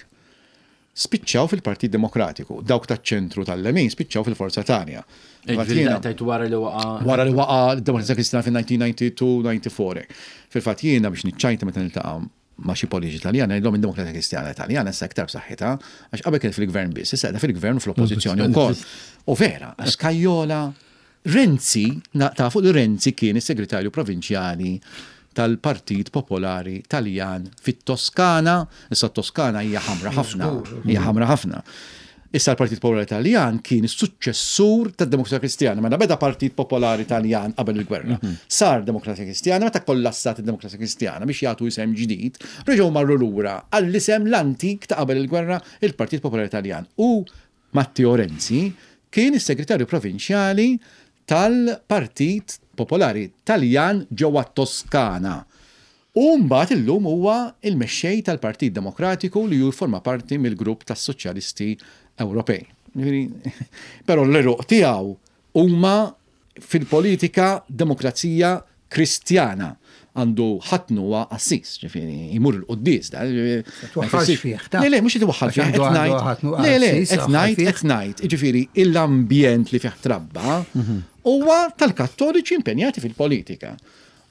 spiċċaw fil-Partit Demokratiku, dawk taċ-ċentru tal-lemin spiċċaw fil-Forza Italia. Tajt wara li waqa. Wara li waqa d-Demokrazija Kristjana fil-elf disa' mija u tnejn u disgħin disgħa u disgħin. Fil-fatt jiena biex niċċajta meta niltaqa' ma' xi politiċi Italjani, ngħidlhom id-Demokrazija Kristjana Italjana issa iktar b'saħħitha, għax qabel kienet fil-gvern biss, issa qiegħda fil-gvern u fl-oppożizzjoni wkoll. U vera, Scajola, Renzi, tafu li Renzi kien is-segretarju provinċjali tal-Partit Popolari Taljan fit-Toskana, issa t-Toskana hija ħamra ħafna, hija ħamra ħafna. Issa l-Partit Popolari Taljan kien is-suċċessur tad-Demokrazija Kristjana. Mela beda Partit Popolari Taljan qabel il-gwerra. Sar Demokrazija Kristjana, meta kollassat id-Demokrazija Kristjana biex jagħtu isem ġdid, reġgħu marru lura għall-isem l-antik ta' qabel il-gwerra, il-Partit Popolari Taljan. U Matteo Renzi kien is-segretarju provinċjali tal-Partit Popolari Taljan ġewwa Toskana. U mbagħad illum huwa il-mexxej tal-Partit Demokratiku li jforma parti mill-grupp tas-Soċjalisti Ewropej. Però l-eruq tiegħu huma fil-politika Demokrazija Kristjana. Għandu ħatnu huwa qassis, ġifieri jmur il-quddies. Twaħħalx fih, ta' Le, le, mhux itwaħħal fih, qed ngħid. Le, le, qed ngħid, qed ngħid. Ġifieri l-ambjent li fih trabba huwa tal-Kattoliċi impenjati fil-politika.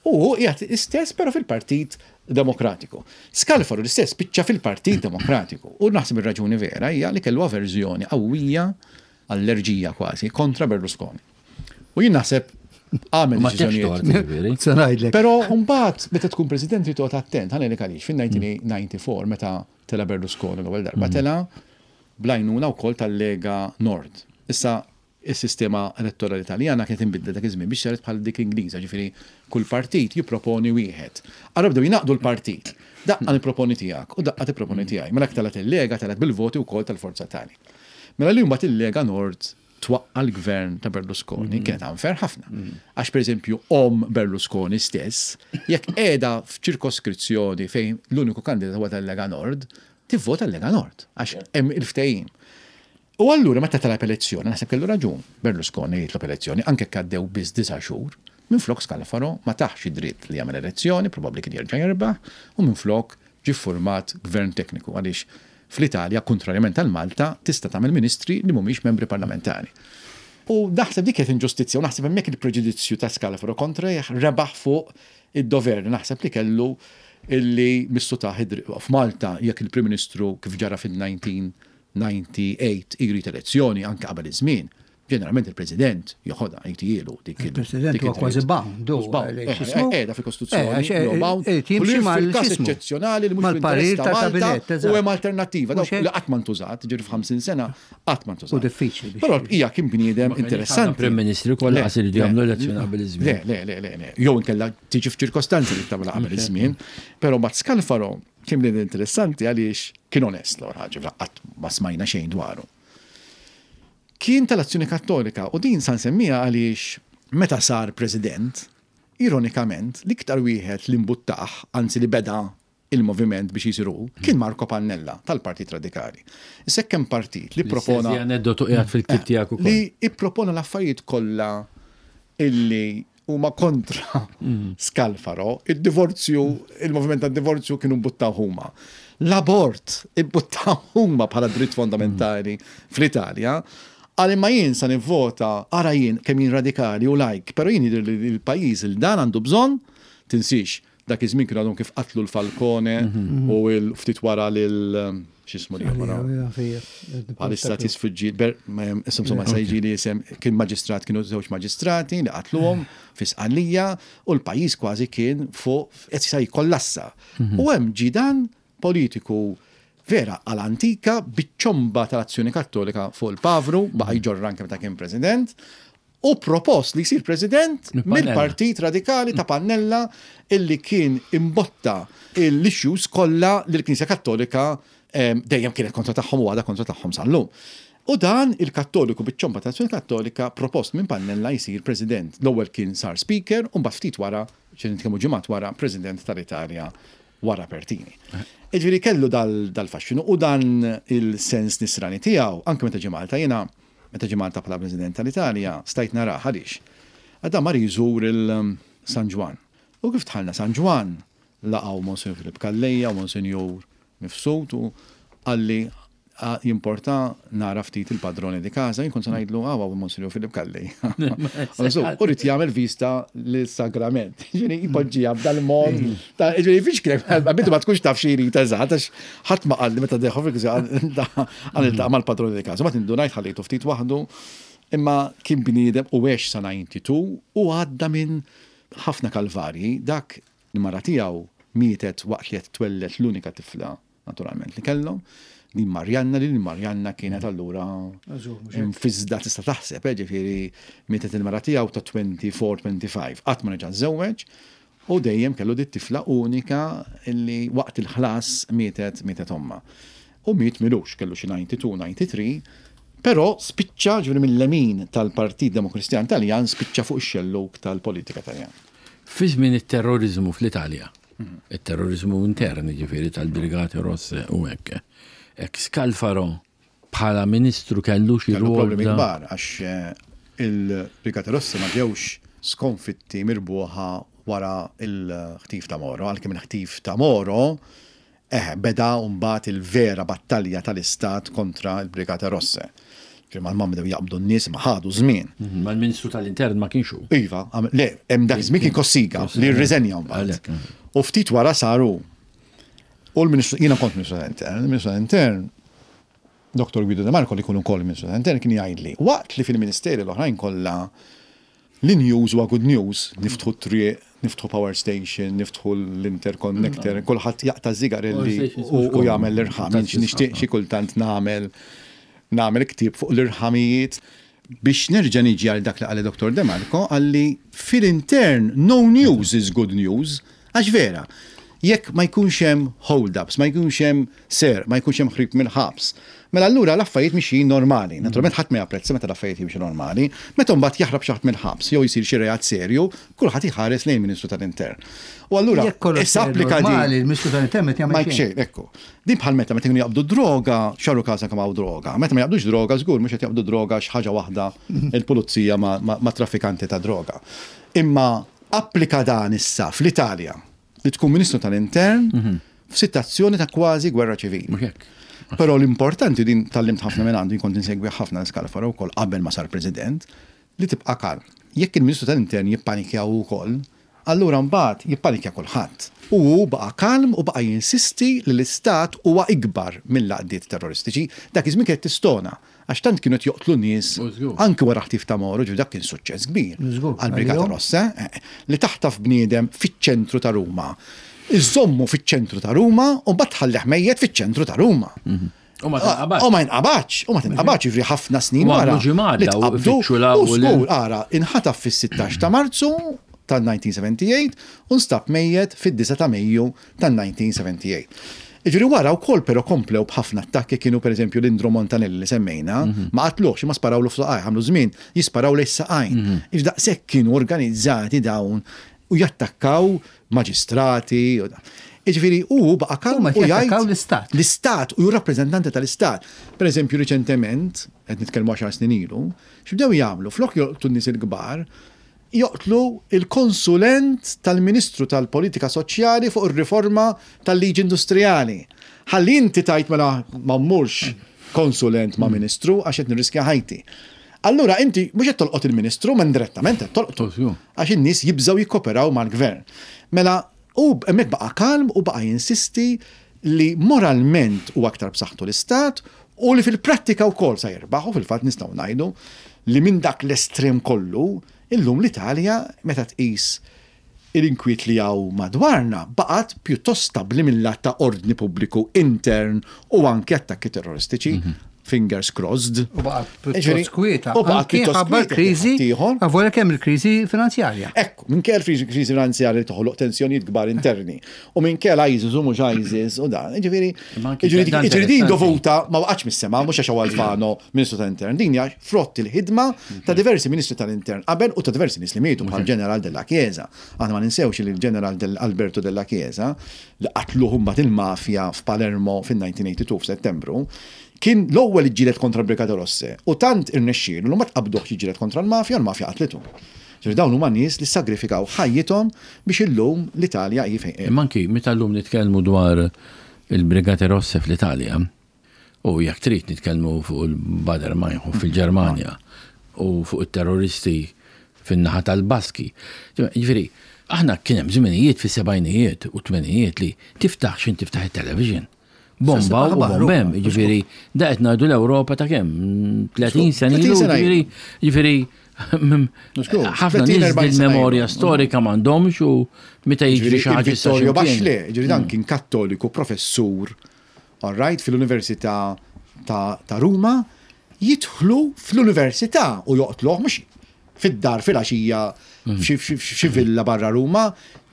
U qiegħed istess però fil-Partit Demokratiku. Scalfaro l-istess spiċċa fil-Partit Demokratiku. U naħseb ir-raġuni vera hija li kellu averżjoni qawwija, allerġija kważi, kontra Berlusconi. U jien naħseb għamel Ma tafx deċiżjonijiet. tort, ġifieri. Se ngħidlek. Però mbagħad meta tkun president trid toqgħod attent, ħa ngħidlek għaliex, fin-elf disa' mija u disgħa u disgħin meta tela Berlusconi l-ewwel darba tela bl-għajnuna wkoll tal-Lega Nord. Issa is-sistema elettorali Italjana kienet inbidlet dak iż-żmien biex saret bħal dik Ingliża, ġifieri kull partit jipproponi wieħed. Allura bdew jingħaqdu l-partit. Daqqa nipproponi tiegħek u daqqa tipproponi tiegħi. Mela telgħet il-Lega telgħet bil-voti wkoll tal-Forza Italia. Mela li mbagħad il-Lega Nord twaqqa l-gvern ta' Berlusconi kienet unfair ħafna. Għax pereżempju om Berlusconi stess, jekk qiegħda f'ċirkoskrizzjoni fejn l-uniku kandidat huwa tal-Lega Nord, tivvota l-Lega Nord għax hemm il-ftehim. U allura meta talab elezzjoni, naħseb kellu raġun, Berlusconi jitlob elezzjoni, anke għaddew biss disa' xhur, minflok Scalfaro ma taħx id-dritt li jagħmel elezzjoni, probabbli kien jerġa' jerbaħ, u minflok ġie format gvern tekniku għaliex fl-Italja, kontrarjament għal Malta, tista' tagħmel ministri li mhumiex membri parlamentari. U naħseb dik kienet inġustizzja u naħseb hemmhekk il-preġudizzju ta' Scalfaro kontra rebaħ fuq id-dover. Naħseb li kellu illi missu ta' f'Malta jekk il-Prim Ministru kif ġara fil-elf disa' mija u disgħa u disgħin jrid elezzjoni anke qabel iż-żmien. Ġeneralment il-President joħodha jtijielu dik il- Il-President dik huwa id-dritt. kważi bound, hu, Mhux bound. għalhekk Eh, x'ismu? eh, Qiegħda fil-Kostituzzjoni. Eh, għax, eh, huwa bound. eh, jimxi U li mal- fil-każ x'ismu? eċċezzjonali li mhux Mal-parir fl-interess ta' Malta tal-kabinett, eżatt. u hemm alternattiva. Dawk Mhux hekk? li qatt ma ntużat, ġifieri f'ħamsin sena qatt ma ntużat. U diffiċli biex- Però l-bqija kien bniedem interessanti. Prim Ministri kollha Le, qas iridu le, jagħmlu elezzjoni qabel iż-żmien. Le, le, le, le, le. Jew inkella tiġi f'ċirkostanzi li tagħmel qabel iż-żmien. Però Matt Scalfaro kien bniedem interessanti għaliex kien onest l ħaġa, qatt ma smajna xejn dwaru. Kien tal-Azzjoni Kattolika u din sa nsemmija għaliex meta sar president, ironikament, l-iktar wieħed li mbuttaħ, anzi li beda il-moviment biex jisiru, kien Marco Pannella tal-Partit Radikali. Issa hemm partit li propona L-istess aneddotu qiegħed fil-ktieb tiegħek ukoll. li ippropona l-affarijiet kollha illi huma kontra Scalfaro, id-divorzju, il-moviment tad-divorzju kienu mbuttaw huma. L-abort imbuttaw huma bħala dritt fondamentali fl-Italja. Għal imma jien sa nivvota, ara jien kemm jien radikali u lajk, pero jien jidher li l-pajjiż il dan għandu bżonn, tinsix, dak iż-żmien kienu għadhom kif qatlu l-Falcone u l-ftit wara lil x'ismu li wara. Bħalissa tisfuġġi, insomma sa jiġi li jisem, kien maġistrat, kienu żewġ maġistrati li qatluhom fi Sqallija u l-pajjiż kważi kien fuq qed sa jikkollassa. U hemm ġie dan politiku vera għal-antika biċ-ċomba tal-Azzjoni Kattolika fuq il-Pavru, baqa' jġorr anke meta kien president, u propost li jsir president mill-Partit Radikali ta' Pannella illi kien imbotta l-issues kollha li l-Knisja Kattolika dejjem kienet kontra tagħhom u għadha kontra tagħhom sal-lum. U dan il-Kattoliku biċ-ċomba tal-Azzjoni Kattolika propost minn Pannella jsir president. L-ewwel kien sar speaker u mbagħad ftit wara, xi nitkellmu ġimgħat wara, president tal-Italja wara Pertini. Jiġifieri kellu dal-faxxinu u dan il-sens nisrani tiegħu anke meta ġie Malta, jiena meta ġie Malta bħala president tal-Italja stajt narah għaliex. Għadda mar jżur il-San Ġwann. U kif dħalna San Ġwann laqgħu Monsinjur Filip Calleja u Monsinjur Mifsud u qalli jimporta nara ftit il-padrone di casa, jien kont se ngħidlu għawa Monsinjur Filip Calleja. U rrid jagħmel vista lis-sagrament. Ġifieri jpoġġiha b'dal-mod. Ġifieri fiex kien, għabitu ma tkunx taf xi jrid eżatt, għax ħadd ma qalli meta deħu fil għal iltaqa' mal-padrone di casa. Ma tindunajt ħallejtu ftit waħdu, imma kien bniedem u għex sa ninety-two u għadda minn ħafna kalvarji. Dak il-mara tiegħu mietet waqt li qed twellet l-unika tifla naturalment li kellhom. Din Marjanna, li Marjanna kienet allura mfizda tista' taħseb, eh, ġifieri mietet il-mara tiegħu ta' twenty-four, twenty-five. Qatt ma reġa' żewweġ u dejjem kellu dit tifla unika illi waqt il-ħlas mietet, mietet omma. U miet milux, kellu xi ninety-two, ninety-three, però spiċċa ġifieri mill-lemin tal-Partit Demokristjan Taljan spiċċa fuq ix-xellug tal-politika Taljan. Fi żmien it-terrorizmu fl-Italja, it-terrorizmu intern ġifieri tal-Brigate Rosse u hekk. Ek Scalfaro bħala ministru kellu xi Kellu rwol problemi da- kbar għax, eh, il-Brigate Rosse ma ġewx skonfitti mirbuħa wara il-ħtif ta' Moro, għalkemm il-ħtif ta' Moro eh, beda mbagħad il-vera battalja tal-Istat kontra il-Brigate Rosse. Ġifieri mal-mamma bdew jaqbdu n-nies ma ħadu żmien. Mhm, ma l-Ministru tal-Intern ma kienx hu. Iva, għam-, le, hemm dak iż-żmien kien Cossiga li rriżenja mbagħad. Għalhekk, mhm. U ftit wara saru. U l-Ministru, jiena kont Ministru tal-Intern, il-Ministru tal-Intern, Doktor Guido De Marco li jkun ukoll Ministru tal-Intern kien jgħidli, waqt li fil-Ministeri l-oħrajn kollha l-news huwa good news, niftħu triq, niftħu power station, niftħu l-interconnector, Mm. kulħadd jaqta' zigarelli Power stations u, mhux u komuni. jagħmel l-irħam. Tant Jien nixtieq xi kultant nagħmel, nagħmel ktieb fuq l-irħamijiet. Biex nerġa' niġi għal dak li qal Doktor De Marco, qalli fil-intern no news is good news, għax vera, jekk ma jkunx hemm hold-ups, ma jkunx hemm ser, ma jkunx hemm ħrib mill-ħabs, mela allura l-affarijiet mixjin normali. Naturalment ħadd ma japprezza meta l-affarijiet jimxu normali, meta mbagħad jaħrab xi ħadd mill-ħabs jew jsir xi reat serju, kulħadd iħares lejn Ministru tal-Intern. U allura Jekk kollox issa applika din normali, il-Ministru tal-Intern ma jagħmel Ma xejn. xejn, ekku. Din bħal meta meta jkunu jaqbdu droga, xarru każa kemm hawn droga. Meta ma jaqbdux droga, żgur mhux qed jaqbdu droga xi ħaġa waħda il-pulizija ma, ma, ma traffikanti ta' droga. Imma applika dan issa fl-Italja li tkun Ministru tal-Intern f'sitwazzjoni ta' kważi gwerra ċivili. Mhux hekk. Però l-importanti din tgħallimt ħafna minn għandu, kont insegwi ħafna Scalfaro wkoll qabel ma sar president, li tibqa' kalm. Jekk il-Ministru tal-Intern jippanikja wkoll, allura mbagħad jippanikja kulħadd. U hu baqa' kalm u baqa' jinsisti li l-Istat huwa ikbar mill-għaqdiet terroristiċi. Dak iż-żmien kienet tistona, għax tant kienu qed joqtlu nies U żgur. anke wara ħtif ta' Moro, ġifieri dak kien suċċess kbir. Żgur, Għall-Brigata għalihom. Rossa, eh, li taħtaf bniedem fiċ-ċentru ta' Ruma. Iżommu fiċ-ċentru ta' Ruma u mbagħad tħallih mejjet fiċ-ċentru ta' Ruma. U ma tinqabadx. U ma jinqabadx, u ma tinqabadx, ġifieri ħafna snin U wara. għamlu ġimgħat li daw tqabdu, ifittxu law u u żgur, l- ara, inħataf fis-sittax ta' Marzu tal-nineteen seventy-eight u nstab mejjet fid-disa ta' Mejju tal-nineteen seventy-eight. Jiġifieri wara wkoll però komplew b'ħafna attakki, kienu pereżempju l-Indro Montanelli li semmejna, Mhm. ma qatluhx, ma sparawlu f'saqajh, għamlu żmien jisparaw lejn saqajn. Mhm. Iġ daqshekk kienu organizzati dawn u jattakkaw maġistrati. Jiġifieri hu baqa' kalm Huma u jgħid jattakkaw l-Istat. L-Istat u rappreżentanti tal-Istat. Per eżempju, riċentement, qed nitkellmu għaxar snin ilu, x'bdew jagħmlu? Flok joqtu n-nies il-kbar, Joqtlu il-konsulent tal-Ministru tal-Politika Soċjali fuq ir-riforma tal-liġi industrijali. Ħalli inti tajt mela ma mmurx konsulent ma' ministru għax qed nirriskja ħajti. Allura inti mhux qed tolqot il-ministru, ma indirettament qed tolqtu. Għax in-nies jibżgħu jikkoperaw mal-gvern. Mela u hemmhekk baqa' kalm u baqa' jinsisti li moralment u aktar b'saħħtu l-istat u li fil-prattika wkoll sa jirbaħ, u fil-fatt nistgħu ngħidu li minn dak l-estrem kollu illum l-Italja, meta tqis il-inkwiet li hawn madwarna, baqgħet pjuttost stabli mill-lat ta' ordni pubbliku intern u anke attakki terroristiċi. Fingers crossed. U baqgħet pjuttost kwieta. U baqgħet pjuttost kwieta. Kriżi, avolja kemm il-kriżi finanzjarja. Ekku, minkejja l-kriżi finanzjarja li toħloq tensjonijiet kbar interni. U minkejja l-ISIS u mhux ISIS u dan. Ġifieri, ġifieri din dovuta ma waqgħatx mis-sema, mhux għax Alfano Ministru tal-Intern. Din hija frott il-ħidma ta' diversi Ministri tal-Intern qabel u ta' diversi nies li mietu bħal Ġeneral Della Chiesa. Aħna ma ninsewx li l-Ġeneral Alberto Della Chiesa, li qatluh mbagħad il-mafja f'Palermo fin-elf disa' mija u tnejn u tmenin f'Settembru, kien l-ewwel iġġieled kontra Brigata Rosse u tant irnexxielu li ma tqabduh jiġġieled kontra l-mafja, l-mafja qatlitu. Ġifieri dawn huma nies li sagrifikaw ħajjithom biex illum l-Italja hi fejn. Imma anki meta llum nitkellmu dwar il-Brigate Rosse fl-Italja, u jekk trid nitkellmu fuq il-Baader Meinhof fil-Ġermanja u fuq it-terroristi fin-naħa tal-Baski. Ġifieri, aħna kien hemm żminijiet fis-sebgħinijiet u tmenijiet li tiftaħ xin tiftaħ it-television. Bomba u bombem, ġifieri, da qed ngħidu l-Ewropa ta' kemm? tletin sena ilu, ġifieri, ġifieri, ħafna nies il-memorja storika m'għandhomx u meta jiġri xi ħaġa. Vittorio Bachelet, ġifieri dan kien kattoliku, professur, all right, fil-Università ta' Ruma, jidħlu fl-università u joqtluh, mhux fid-dar fil-għaxija f'xi villa barra Ruma,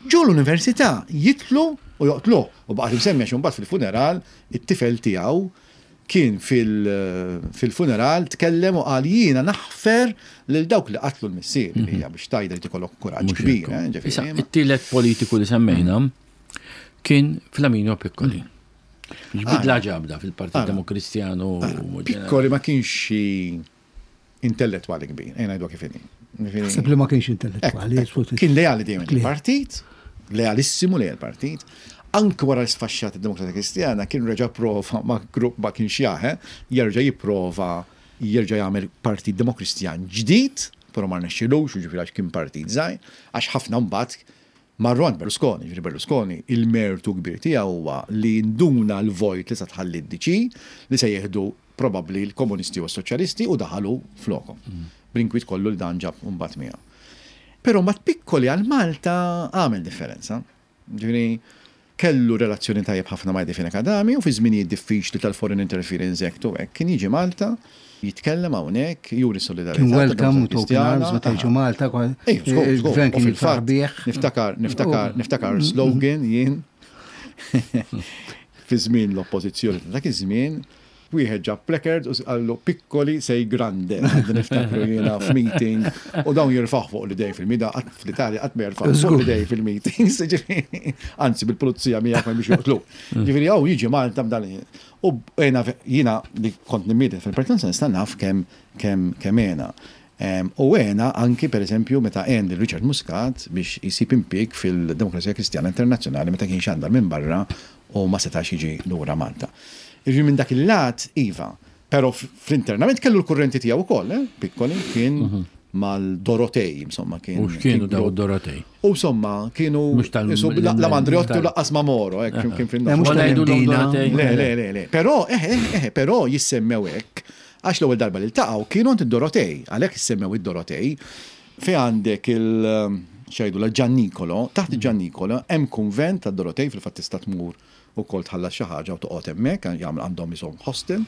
ġo l-università jidħlu u joqtluh. U baqgħet imsemmija xi mbagħad fil-funeral it-tifel tiegħu kien fil-funeral tkellem u qal jiena naħfer lil dawk li qatlu l-missier, li hija biex tajda li tikollok kuraġġ kbir. Issa, it-tielet politiku li semmejna kien Flaminio Piccoli. X'bidla ġabda fil-Partit Demokristjanu? Piccoli ma kienx xi intellettwali kbir, ejja ngħidu kif inhi. Naħseb li ma kienx intellettwali. Kien leali dejjem il-partit, lealissimu lejn il-partit. Anke wara l-sfaxxat id-Demokrazija Kristjana kien reġa' prova ma' grupp ma kienx jaħe, jerġa' jipprova jerġa' jagħmel Partit Demokristjan ġdid, però ma rnexxilux, jiġifieri għax kien partit żgħir, għax ħafna mbagħad marru għand Berlusconi, ġifieri Berlusconi il-mertu kbir tiegħu huwa li nduna l-vojt li sa tħalli d-D C li se jieħdu probabbli l-komunisti u s-soċjalisti u daħalu flokom. Bl-inkwiet kollu li dan ġab mbagħad miegħu. Però ma Piccoli għal Malta għamel differenza. Ġifieri kellu relazzjoni tajjeb ħafna ma' Fenech Adami u fi żminijiet diffiċli tal-Foreign Interference Act u hekk kien jiġi Malta, jitkellem hawnhekk, juri solidarità. Kien welcome u open arms meta jiġu Malta, il-gvern kien jifraħ bih. Niftakar, niftakar, niftakar slogan jien fi żmien l-oppożizzjoni ta' dak iż-żmien, wieħed ġab placard u qallu "Piccoli sei grande", għadni niftakru jiena f'meeting u dawn jirfaħ fuq l-idej fil-mida, fl-Italja qatt ma jirfaħ fuq l-idej fil-meetings, ġifieri, anzi bil-pulizija miegħek ma biex joqtlu. Ġifieri hawn jiġi Malta b'dan u jiena jiena li kont nimmiet fil-partit nista' naf kemm kemm kemm għena. U għena anki per eżempju meta għen lil Richard Muscat biex jisib impjieg fil-Demokrazija Kristjana Internazzjonali meta kien xandar minn barra u ma setax jiġi lura Malta. Jiġifieri minn dak il-lat, iva, pero fl-internament kellu l-kurrenti tiegħu wkoll, eh? Piccoli kien mal-Dorotej, insomma kien. U x'kienu daw Dorotej? U insomma, kienu la la Andreotti u lanqas ma Moro, hekk kien fin mhux tal-Imdina. Le, le, le, le. Però, eh, eh, eh, però jissemmew hekk, għax l-ewwel darba li ltaqgħu kienu għand id-Dorotej, għalhekk jissemmew id-Dorotej, fi għandek il- xajdu la Giannicolo, taħt il-Giannicolo hemm kunvent tad-Dorotej, fil-fatt tista' tmur ukoll tħallas xi ħaġa u toqgħod hemmhekk, jagħmel għandhom ishom hostel.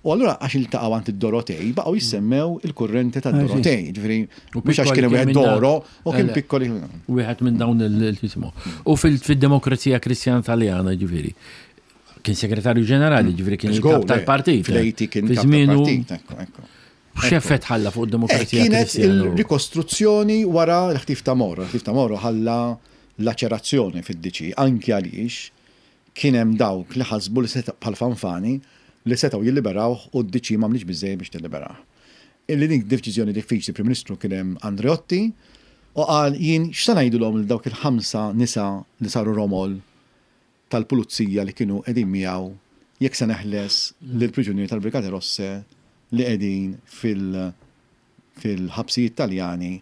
U allura għax iltaqgħu għand id-Dorotej baqgħu jissemmew il-kurrenti tad-Dorotej. Ġifieri mhux għax kien wieħed Doro u kien Piccoli. Wieħed minn dawn il-jismu. U fil-Demokrazija Kristjana Taljana, ġifieri, kien segretarju ġenerali, ġifieri kien il-kap tal-partit. Fl-eighty kien kap tal-partit, ekku, ekku. X'effett ħalla fuq id-demokrazija Kienet Kristjana? il-rikostruzzjoni wara l-ħtif ta' Moro. L-ħtif ta' Moro ħalla laċerazzjoni fid-D C, anki għaliex kien hemm dawk li ħasbu li seta' bħal Fanfani li setgħu jilliberawh u d-D C m'għamlix biżejjed biex tilliberah. Illi dik deċiżjoni diffiċli, Prim Ministru kien hemm Andreotti. U qal, jien x'sa ngħidulhom lil dawk il-ħamsa nisa li saru romol tal-pulizija li kienu qegħdin miegħu jekk se neħles lill-priġunieri tal-Brigate Rosse li qegħdin fil- fil-ħabsijiet Taljani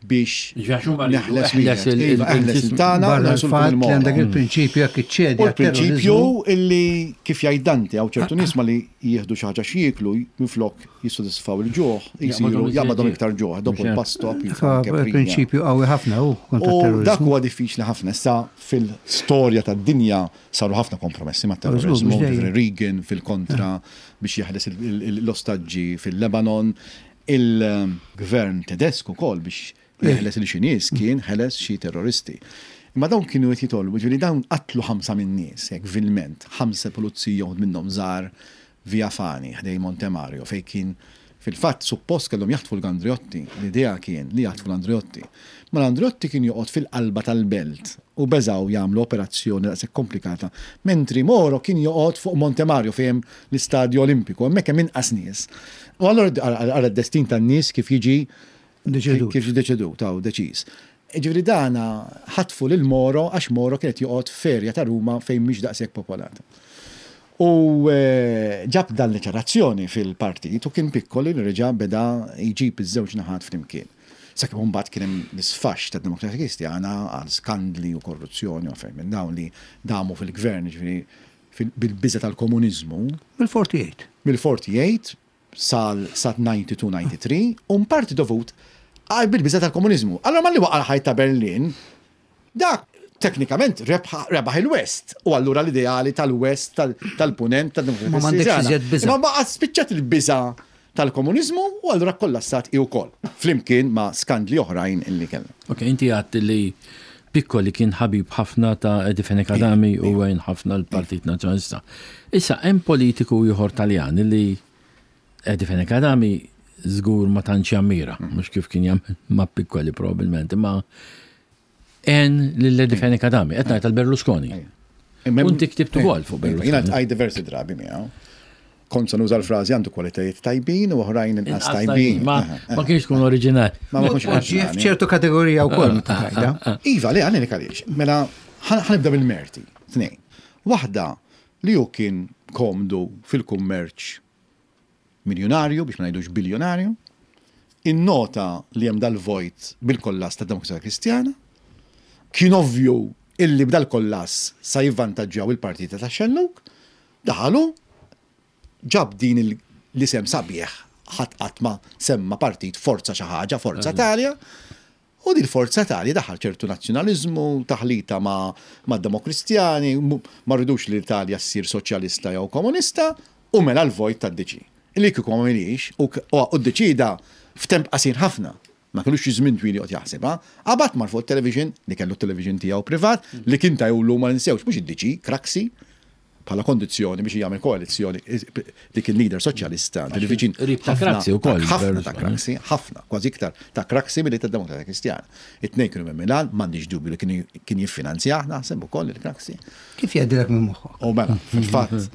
biex neħles wieħed. Iva, eħles il-tagħna u Barra neħlesulkom l-fatt li il-Moro. għandek il-prinċipju jekk iċċedi U l-prinċipju għat-terrorizmu. illi kif jgħid Dante hawn ċertu nies ma li jieħdu xi ħaġa x'jieklu minflok jissodisfaw il-ġuħ, jisiru jaqbadhom iktar ġuħ, dopo il-pasto Prinċipju qawwi ħafna u kontra U dak terrorizmu. huwa diffiċli ħafna. Issa fil-storja tad-dinja saru ħafna kompromessi ma' terrorizmu, mhux dejjem. ġifieri Reagan fil-kontra biex jeħles il- il- l-ostaġġi fil-Lebanon, il-gvern Tedesku ukoll biex jeħles il xi nies kien ħeles xi terroristi. Imma dawn kienu qed jitolbu, ġifieri dawn qatlu ħamsa minn nies, hekk vilment, ħamsa pulizija uħud minnhom żgħar Via Fani, ħdej Monte Mario, fej kien fil-fatt suppost kellhom jaħtfu l-Andriotti, l-idea kien li jaħtfu l-Andriotti. Ma l-Andriotti kien joqgħod fil-qalba tal-belt u beżaw jagħmlu operazzjoni daqshekk komplikata, mentri Moro kien joqgħod fuq Monte Mario fejn l-Istadju Olimpiku, hemmhekk hemm inqas nies. U allura ara d-destin tan-nies kif jiġi Deċedut. kif deċedut, taw deċiż. Ġifieri dana ħatfu lil Moro għax Moro kienet joqgħod f'erja ta' Ruma fejn mhix daqshekk popolata. U eh, ġab dan l-ċarazzjoni fil-partit u kien Piccoli li reġa' beda jġib iż-żewġ naħat flimkien. Sakemm mbagħad kien hemm l-isfax tad-Demokratika Kristjana għal skandli u korruzzjoni u affarijiet minn dawn li damu fil-gvern, ġifieri fil- bil-biża tal-komuniżmu Mill-forty-eight. mill-forty-eight sal sa ninety-two ninety-three u parti dovut għal bil-biża tal-komuniżmu. Allora malli waqa' l-ħajt ta' Berlin, dak teknikament rebħa- rebaħ il-West u allura l-ideali tal-West tal- tal-punent tal-Demokrazija Ma m'għandekx Kristjana. iżjed biża'. Imma baqa' spiċċat il-biża tal-komuniżmu u allura kollassat i wkoll. Flimkien ma' skandli oħrajn illi kellna. Ok, inti għedt li Piccoli kien ħabib ħafna ta' Eddie Fenech Adami u għen ħafna l-Partit Nazzjonalista. Issa, hemm politiku ieħor Taljan li Eddie Fenech Adami żgur ma tantx jammira, mhux kif kien jagħmel ma' Piccoli probabbilment, imma għen lil Eddie Fenech Adami, qed ngħid tal-Berlusconi. U inti ktibt ukoll fuq Berlusconi. Jiena għaj diversi drabi miegħu. Kont se nuża l-frażi għandu kwalitajiet tajbin u oħrajn inqas tajbin. Ma ma kienx tkun oriġinali. Ma ma kienx Poġġi oriġinali. f'ċertu kategorija wkoll meta tgħidha. Iva, le, għalli għaliex. Mela, ħa nibda bil-merti. Tnejn. Waħda li hu kien komdu fil-kummerċ miljonarju, biex ma ngħidux biljonarju, innota li hemm dal-vojt bil-kollass ta' Demokrazija Kristjana, kien ovvju illi b'dal-kollass sa jivvantaġġjaw il-partita ta' Xellug, daħalu, ġab din il- l-isem sabiħ, ħadd qatt ma semma partit Forza xi ħaġa, Forza Italia, u din Forza Italia daħal ċertu nazzjonaliżmu, taħlita ma, ma demokristjani, mu- ma rridux li l-Italja ssir soċjalista jew komunista, u mela l-vojt tad-D C. Illi kieku ma milix, u k- u u ddeċida f'temp qasir ħafna. Ma kellux xi żmien twil joqgħod jaħsibha, qabad mar fuq television li kellu television tiegħu privat, li kien tajulu ma ninsewx mhux id-D C, Craxi, bħala kondizzjoni biex jagħmel koalizzjoni dik il-leader soċjalista, li viċin Qrib ta' ħafna- Craxi wkoll, ħafna ta' Berlusconi. Craxi, ħafna, kważi iktar ta' Craxi milli ta' Demokratika Kristjana. It-tnejn kienu minn Milan, m'għandix dubju li kien kien jiffinanzjah naħseb ukoll il-Craxi. Kif jgħaddilek minn moħħok? U mela, fil-fatt,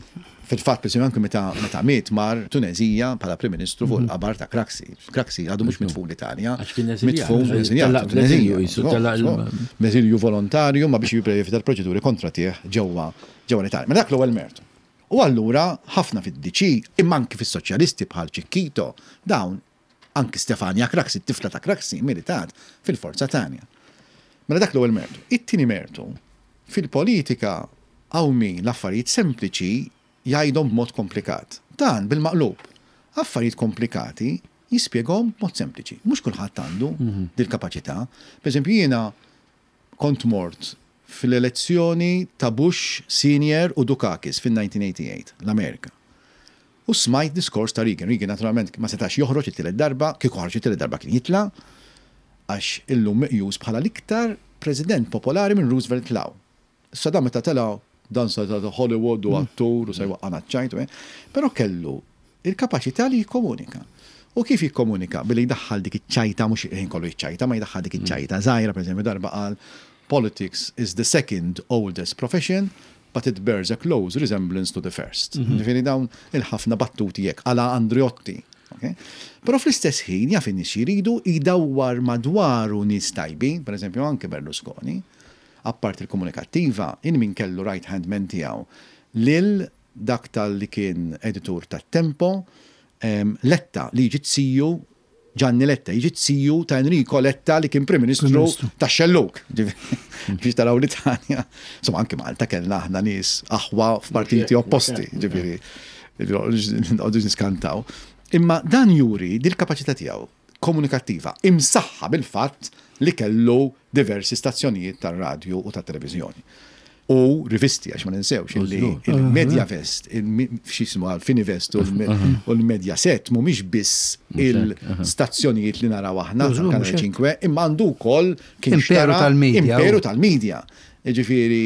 fil-fatt, per esempio, anke meta meta miet mar Tunezija bħala Prim Ministru fuq il-qabar ta' Craxi. Craxi għadu mhux mitfun l-Italja. Għax kien eżiljat. Mitfun eżiljat, Telaq Tunezija. bl-eżilju, jisu, telaq il- Eżilju volontarju ma biex jipprevita l-proċeduri kontra tiegħ ġewwa ġewwa l-Italja. Ma dak l-ewwel mertu. U allura ħafna fid-D C, imma anki fis-soċjalisti bħal Cicchitto, dawn anki Stefania Craxi, t-tifla ta' Craxi, militat fil-Forza Tanja. Mela dak l-ewwel mertu. It-tieni mertu, fil-politika hawn min l-affarijiet sempliċi jgħidhom b'mod komplikat. Dan bil-maqlub. Affarijiet komplikati jispjegahom b'mod sempliċi. Mhux kulħadd għandu dil-kapaċità. Per eżempju, jiena kont mort fil-elezzjoni ta' Bush Senior u Dukakis fil-nineteen eighty-eight, l-Amerika. U smajt diskors ta' Reagan. Reagan naturalment ma setax joħroġ it-tielet darba, kieku ħarġ it-tielet darba kien jitla', għax illum meqjus bħala l-iktar president popolari minn Roosevelt 'l hawn. Issa dan meta tela' dan sa ta' Hollywood u attur u sa jwaqqana ċajt, però kellu il-kapaċità li jikkomunika. U kif jikkomunika? Billi jdaħħal dik iċ-ċajta, mhux ħin kollu jiċċajta, ma jdaħħal dik iċ-ċajta żgħira, pereżempju darba qal, "Politics is the second oldest profession, but it bears a close resemblance to the first." Ġifieri dawn il-ħafna battuti jekk għala Andreotti. Però fl-istess ħin jaf in-nies jridu jdawwar madwaru nies tajbin, pereżempju anke Berlusconi, apart il-komunikattiva, in min kellu right hand man tiegħu lil dak tal-li kien editur tat-Tempo, Letta li jiġi tsiju Gianni Letta, jiġi tsiju ta' Enrico Letta li kien Prim Ministru ta' Xelluk. Biex taraw l-Italja. Insomma, anke Malta kellna aħna nies aħwa f'partiti opposti, ġifieri, nqogħdu niskantaw. Imma dan juri dil-kapaċità tiegħu komunikattiva imsaħħa bil-fatt li kellu diversi stazzjonijiet tar-radju u tat-televiżjoni. U rivisti, għax ma ninsewx, illi il-Mediavest, x'jismu għal-Finivest u l-Mediaset mhumiex biss il-stazzjonijiet li naraw aħna tal-Kanal ċinque, imma għandu wkoll kien Imperu tal-media. Imperu tal-media. Ġifieri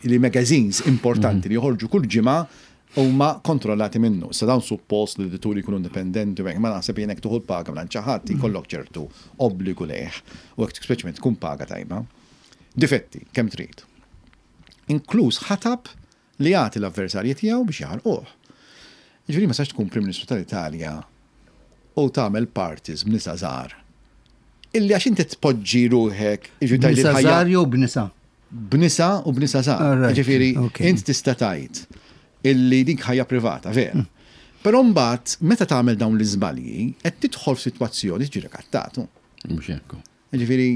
li magazines importanti li joħorġu kull ġimgħa huma kontrollati minnu. Sa dawn suppost li l-edituri jkunu indipendenti, u hekk, ma naħseb jien hekk tuħu l-paga minn xi ħadd jkollok ċertu obbligu lejh, u hekk speċjalment tkun paga tajba. Difetti, kemm trid. Inkluż ħatab li jagħti l-avversarji tiegħu biex jaħarquh. Ġifieri ma sax tkun Prim Ministru tal-Italja u tagħmel parties b'nisa żgħar. Illi għax inti tpoġġi ruħek, jiġifieri tgħid B'nisa il-ħajja żgħar jew b'nisa? B'nisa u b'nisa żgħar. All right, Ġifieri okay. int tista' tgħid illi dik ħajja privata, vera. Però mbagħad meta tagħmel dawn l-iżbalji qed tidħol f'sitwazzjoni tiġi rikattatu. Mhux hekk. Ġifieri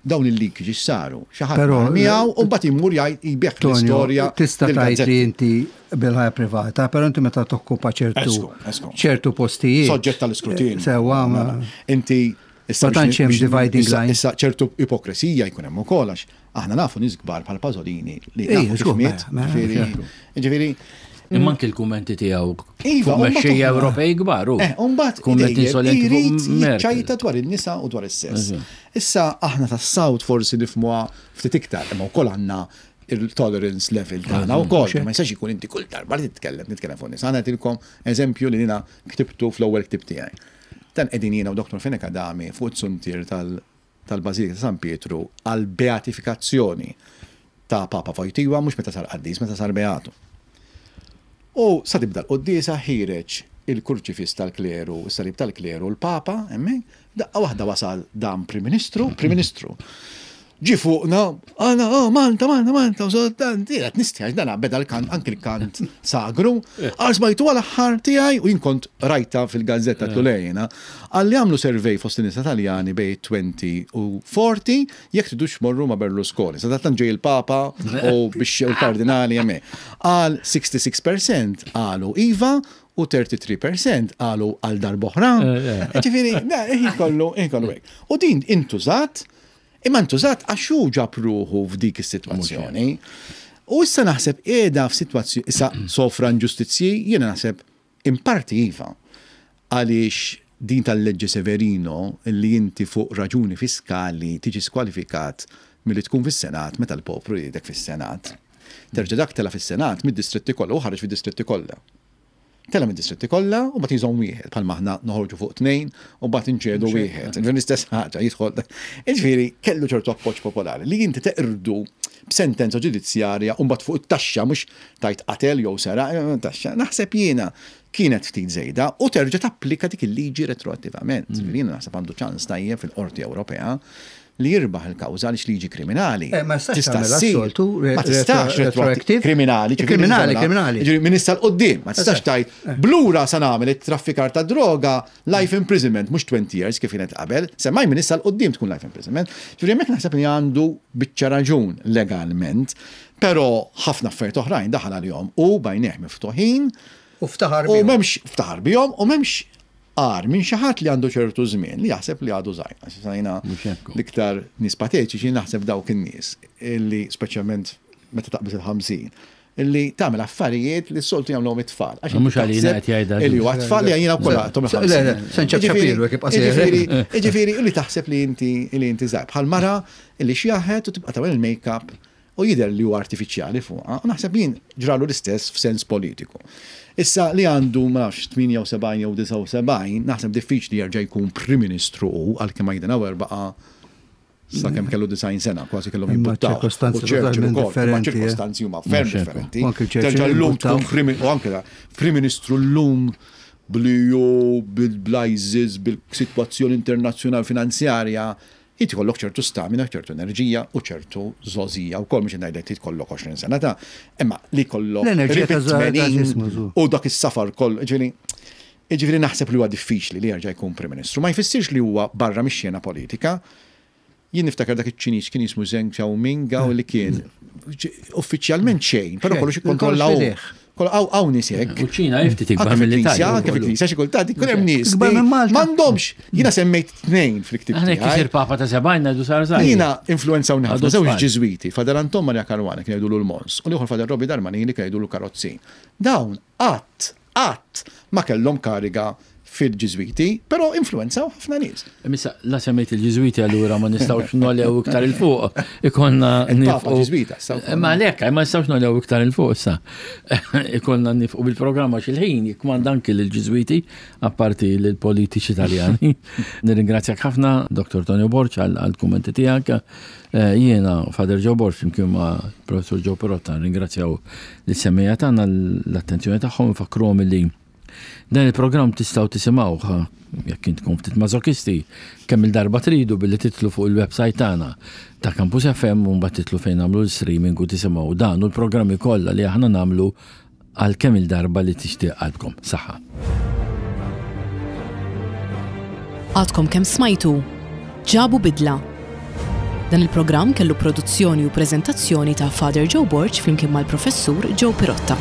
dawn il-leakage saru, xi ħadd Però, miegħu u mbagħad imur jgħid jbieħ Tonio, l-istorja tista' tgħid li lill-gazzetti. inti bil-ħajja privata, però inti meta tokkupa ċertu Esku, esku. ċertu postijiet. Soġġett tal-iskrutinju. Sewwa, ma Mela, inti issa Ma tantx hemm biex- dividing issa- line. Issa ċertu ipokresija jkun hemm ukoll għax aħna nafu nies kbar bħal Pasolini li Ej, nafu kif żgur, miet, mela, ġifieri, mela. ġifieri, Imma anke l-kummenti tiegħu Iva, fuq u mbagħad mexxejja oħra. Ewropej kbar, u Eh, u mbagħad kumment idejjem insolenti fuq irid Merkel. jiċċajta dwar in-nisa u dwar is-sess. Issa aħna tas-South forsi nifhmuha ftit iktar, imma wkoll għandna il-tolerance level tagħna wkoll. Ma jistax ikun inti kull darba li titkellem, titkellem fuq nisa. Aħna nagħtilkom eżempju li jiena ktibtu fl-ewwel ktib tiegħi. Dan qegħdin jiena u Doktor Fenech Adami fuq it-suntier tal- tal-Bażilika ta' San Pietru għal beatifikazzjoni ta' Papa Wojtyła, mhux meta sar qaddis, meta sar beatu. U sa tibda l-quddiesa ħireġ il-kurċifis tal-kleru, is-salib tal-kleru, l-Papa, hemmhekk, daqqa waħda wasal dan Prim Ministru, Prim Ministru. Ġi fuqna, għana, oh, Malta, Malta, Malta, u dan, qed nistħi, dan beda l-kant, anki l-kant sagru, għal smajtu għal aħħar tiegħi u jien kont rajta fil-gazzetta Tulejna, għalli għamlu survey fost in-nies Taljani bej twenty u forty, jekk tridux morru ma' Berlusconi. Sa dattan ġej il-Papa u biex il-kardinali hemmhekk. Għal sixty-six percent għalu iva u thirty-three percent għalu għal darb'oħra. Ġifieri, na, kollu, kollu hekk. U din intużat, imma ntużat għax hu ġab ruħu f'dik is-sitwazzjoni. U issa naħseb qiegħda f'sitwazzjoni, issa sofra inġustizzji, jiena naħseb in parti iva. Għaliex din tal-leġġe Severino li inti fuq raġuni fiskali tiġi skwalifikat milli tkun fis-Senat meta l-poplu jridek fis-Senat. Terġa' dak tela fis-Senat mid-distretti kollha u ħareġ fid-distretti kollha. Tela mid-distretti kollha u mbagħad jżomm wieħed bħalma aħna noħorġu fuq tnejn u mbagħad inċedu wieħed. Ġifieri l-istess ħaġa jidħol. Ġifieri kellu ċertu appoġġ popolari li inti teqrdu b'sentenza ġudizzjarja u mbagħad fuq it-taxxa mhux tajt qatel jew sera, eh, taxxa. Naħseb jiena kienet ftit żejda u terġa' tapplika dik il-liġi retroattivament. Mm. Ġifieri jiena naħseb għandu ċans tajjeb fil-Qorti Ewropea li jirbaħ il-kawża għaliex liġi kriminali. Eh, ma tistax Tista' tagħmilha ssir. soltu, re- Ma tistax retro- retroactive. Kriminali, ġifieri Kriminali, tista' kriminali. Ġifieri minn issa 'l quddiem, ma tistax Eżatt. tgħid blura sa nagħmel it-traffikar ta' droga life imprisonment, mhux twenty years kif kienet qabel, semmaj minn issa 'l quddiem tkun life imprisonment. Ġifieri hemmhekk naħseb li għandu biċċa raġun legalment, però ħafna affarijiet oħrajn daħal għalihom u bajnieh miftuħin. U ftaħar U bihom. m'hemmx ftaħar bihom u m'hemmx għar minn xi ħadd li għandu ċertu żmien li jaħseb li għadu żgħir. Għax jiena Mhux hekk. l-iktar nies patetiċi naħseb dawk in-nies illi speċjalment meta taqbeż il-ħamsin illi tagħmel affarijiet li s-soltu jagħmluhom it-tfal. Għax Mhux għalina taħseb qed jgħidha Illi huwa tfal li għajna wkoll għatom Le, le, il-ħamsin. se nċab ċapiru, jekk jibqa' sejjer. Jiġifieri, jiġifieri, illi taħseb li inti li inti żgħir. Bħal mara illi xjaħet u tibqa' tagħmel il-make-up u jidher li huwa artifiċjali fuqha, u naħseb jien ġralu l-istess f'sens politiku. Issa li għandu ma nafx tmienja u sebgħin jew disgħa u sebgħin, naħseb diffiċli jerġa' jkun Prim Ministru hu għalkemm Eisenhower baqa' sakemm kellu disgħin sena, kważi kellhom Imma jimbuttaw. ċirkostanzi U Churchill totalment ukoll, imma differenti, eh. ċirkostanzi huma ferm Mhux hekk. differenti. U anke Churchill Terġa' llum jimbuttaw. tkun Prim u anke da, Prim Ministru llum bl-E U, bil-I S I S, bil-situazzjoni internazzjonali finanzjarja, inti kollok ċertu stamina, ċertu enerġija u ċertu żgħożija u koll, mhux ngħidlek tkollok għoxrin sena ta' imma li kollok L-enerġija ta' tmenin u dak is-safar kollu, ġifieri Ġifieri naħseb li huwa diffiċli li jerġa' jkun Prim Ministru. Ma jfissirx li huwa barra mix-xena politika. Jien niftakar dak iċ-Ċiniż kien jismu Zheng Xiaoming li kien uffiċjalment xejn, però kollox ikkontrollaw. Hawn nies hekk. U ċina ftit ikbar mill-Italja. Anke fil-Knisja xi kultant ikun hemm nies. M'għandhomx. Jiena semmejt tnejn fil-ktieb. Aħna kisir Papa ta' sebgħin ngħidu sar żgħir. Jiena influenzaw ħafna żewġ Ġiżwiti, Father Anton Maria Caruana kien jgħidulu l-Mons, u l-ieħor Father Robi Darmanin li kien jgħidulu Karozzin. Dawn qatt qatt ma kellhom kariga fil-Ġiżwiti, però influenzaw ħafna nies. Missa, la semmejt il-Ġiżwiti, allura ma nistgħux nogħlew iktar 'il fuq. Ikollna nifqu. Ġiżwita. Ma lek, ma nistgħux nogħlew iktar 'il fuq issa. Ikollna nifqu bil-programma, xil-ħin jikmanda anki l-Ġiżwiti, apparti l-politiċi Italjani. Nirringrazzjak ħafna, Dottor Tonio Borg, għal-kummenti tiegħek. Eh, jiena, Father Joe Borg, flimkien ma' Professor Joe Pirotta, ringrazzjaw lis-semmiegħa tagħna l-attenzjoni tagħhom, fakkruhom li dan il-programm tistgħu tisimgħuh, jekk intkom ftit mażokisti, kemm il-darba tridu billi tidħlu fuq il-website tagħna ta' Campus F M u mbagħad tidħlu fejn nagħmlu l-streaming u tisimgħu dan u l-programmi kollha li aħna nagħmlu għal kemm il-darba li tixtieq qalbkom. Saħħa. Għadkom kemm smajtu Ġabu Bidla. Dan il-programm kellu produzzjoni u preżentazzjoni ta' Father Joe Borg flimkien mal-Professur Joe Pirotta.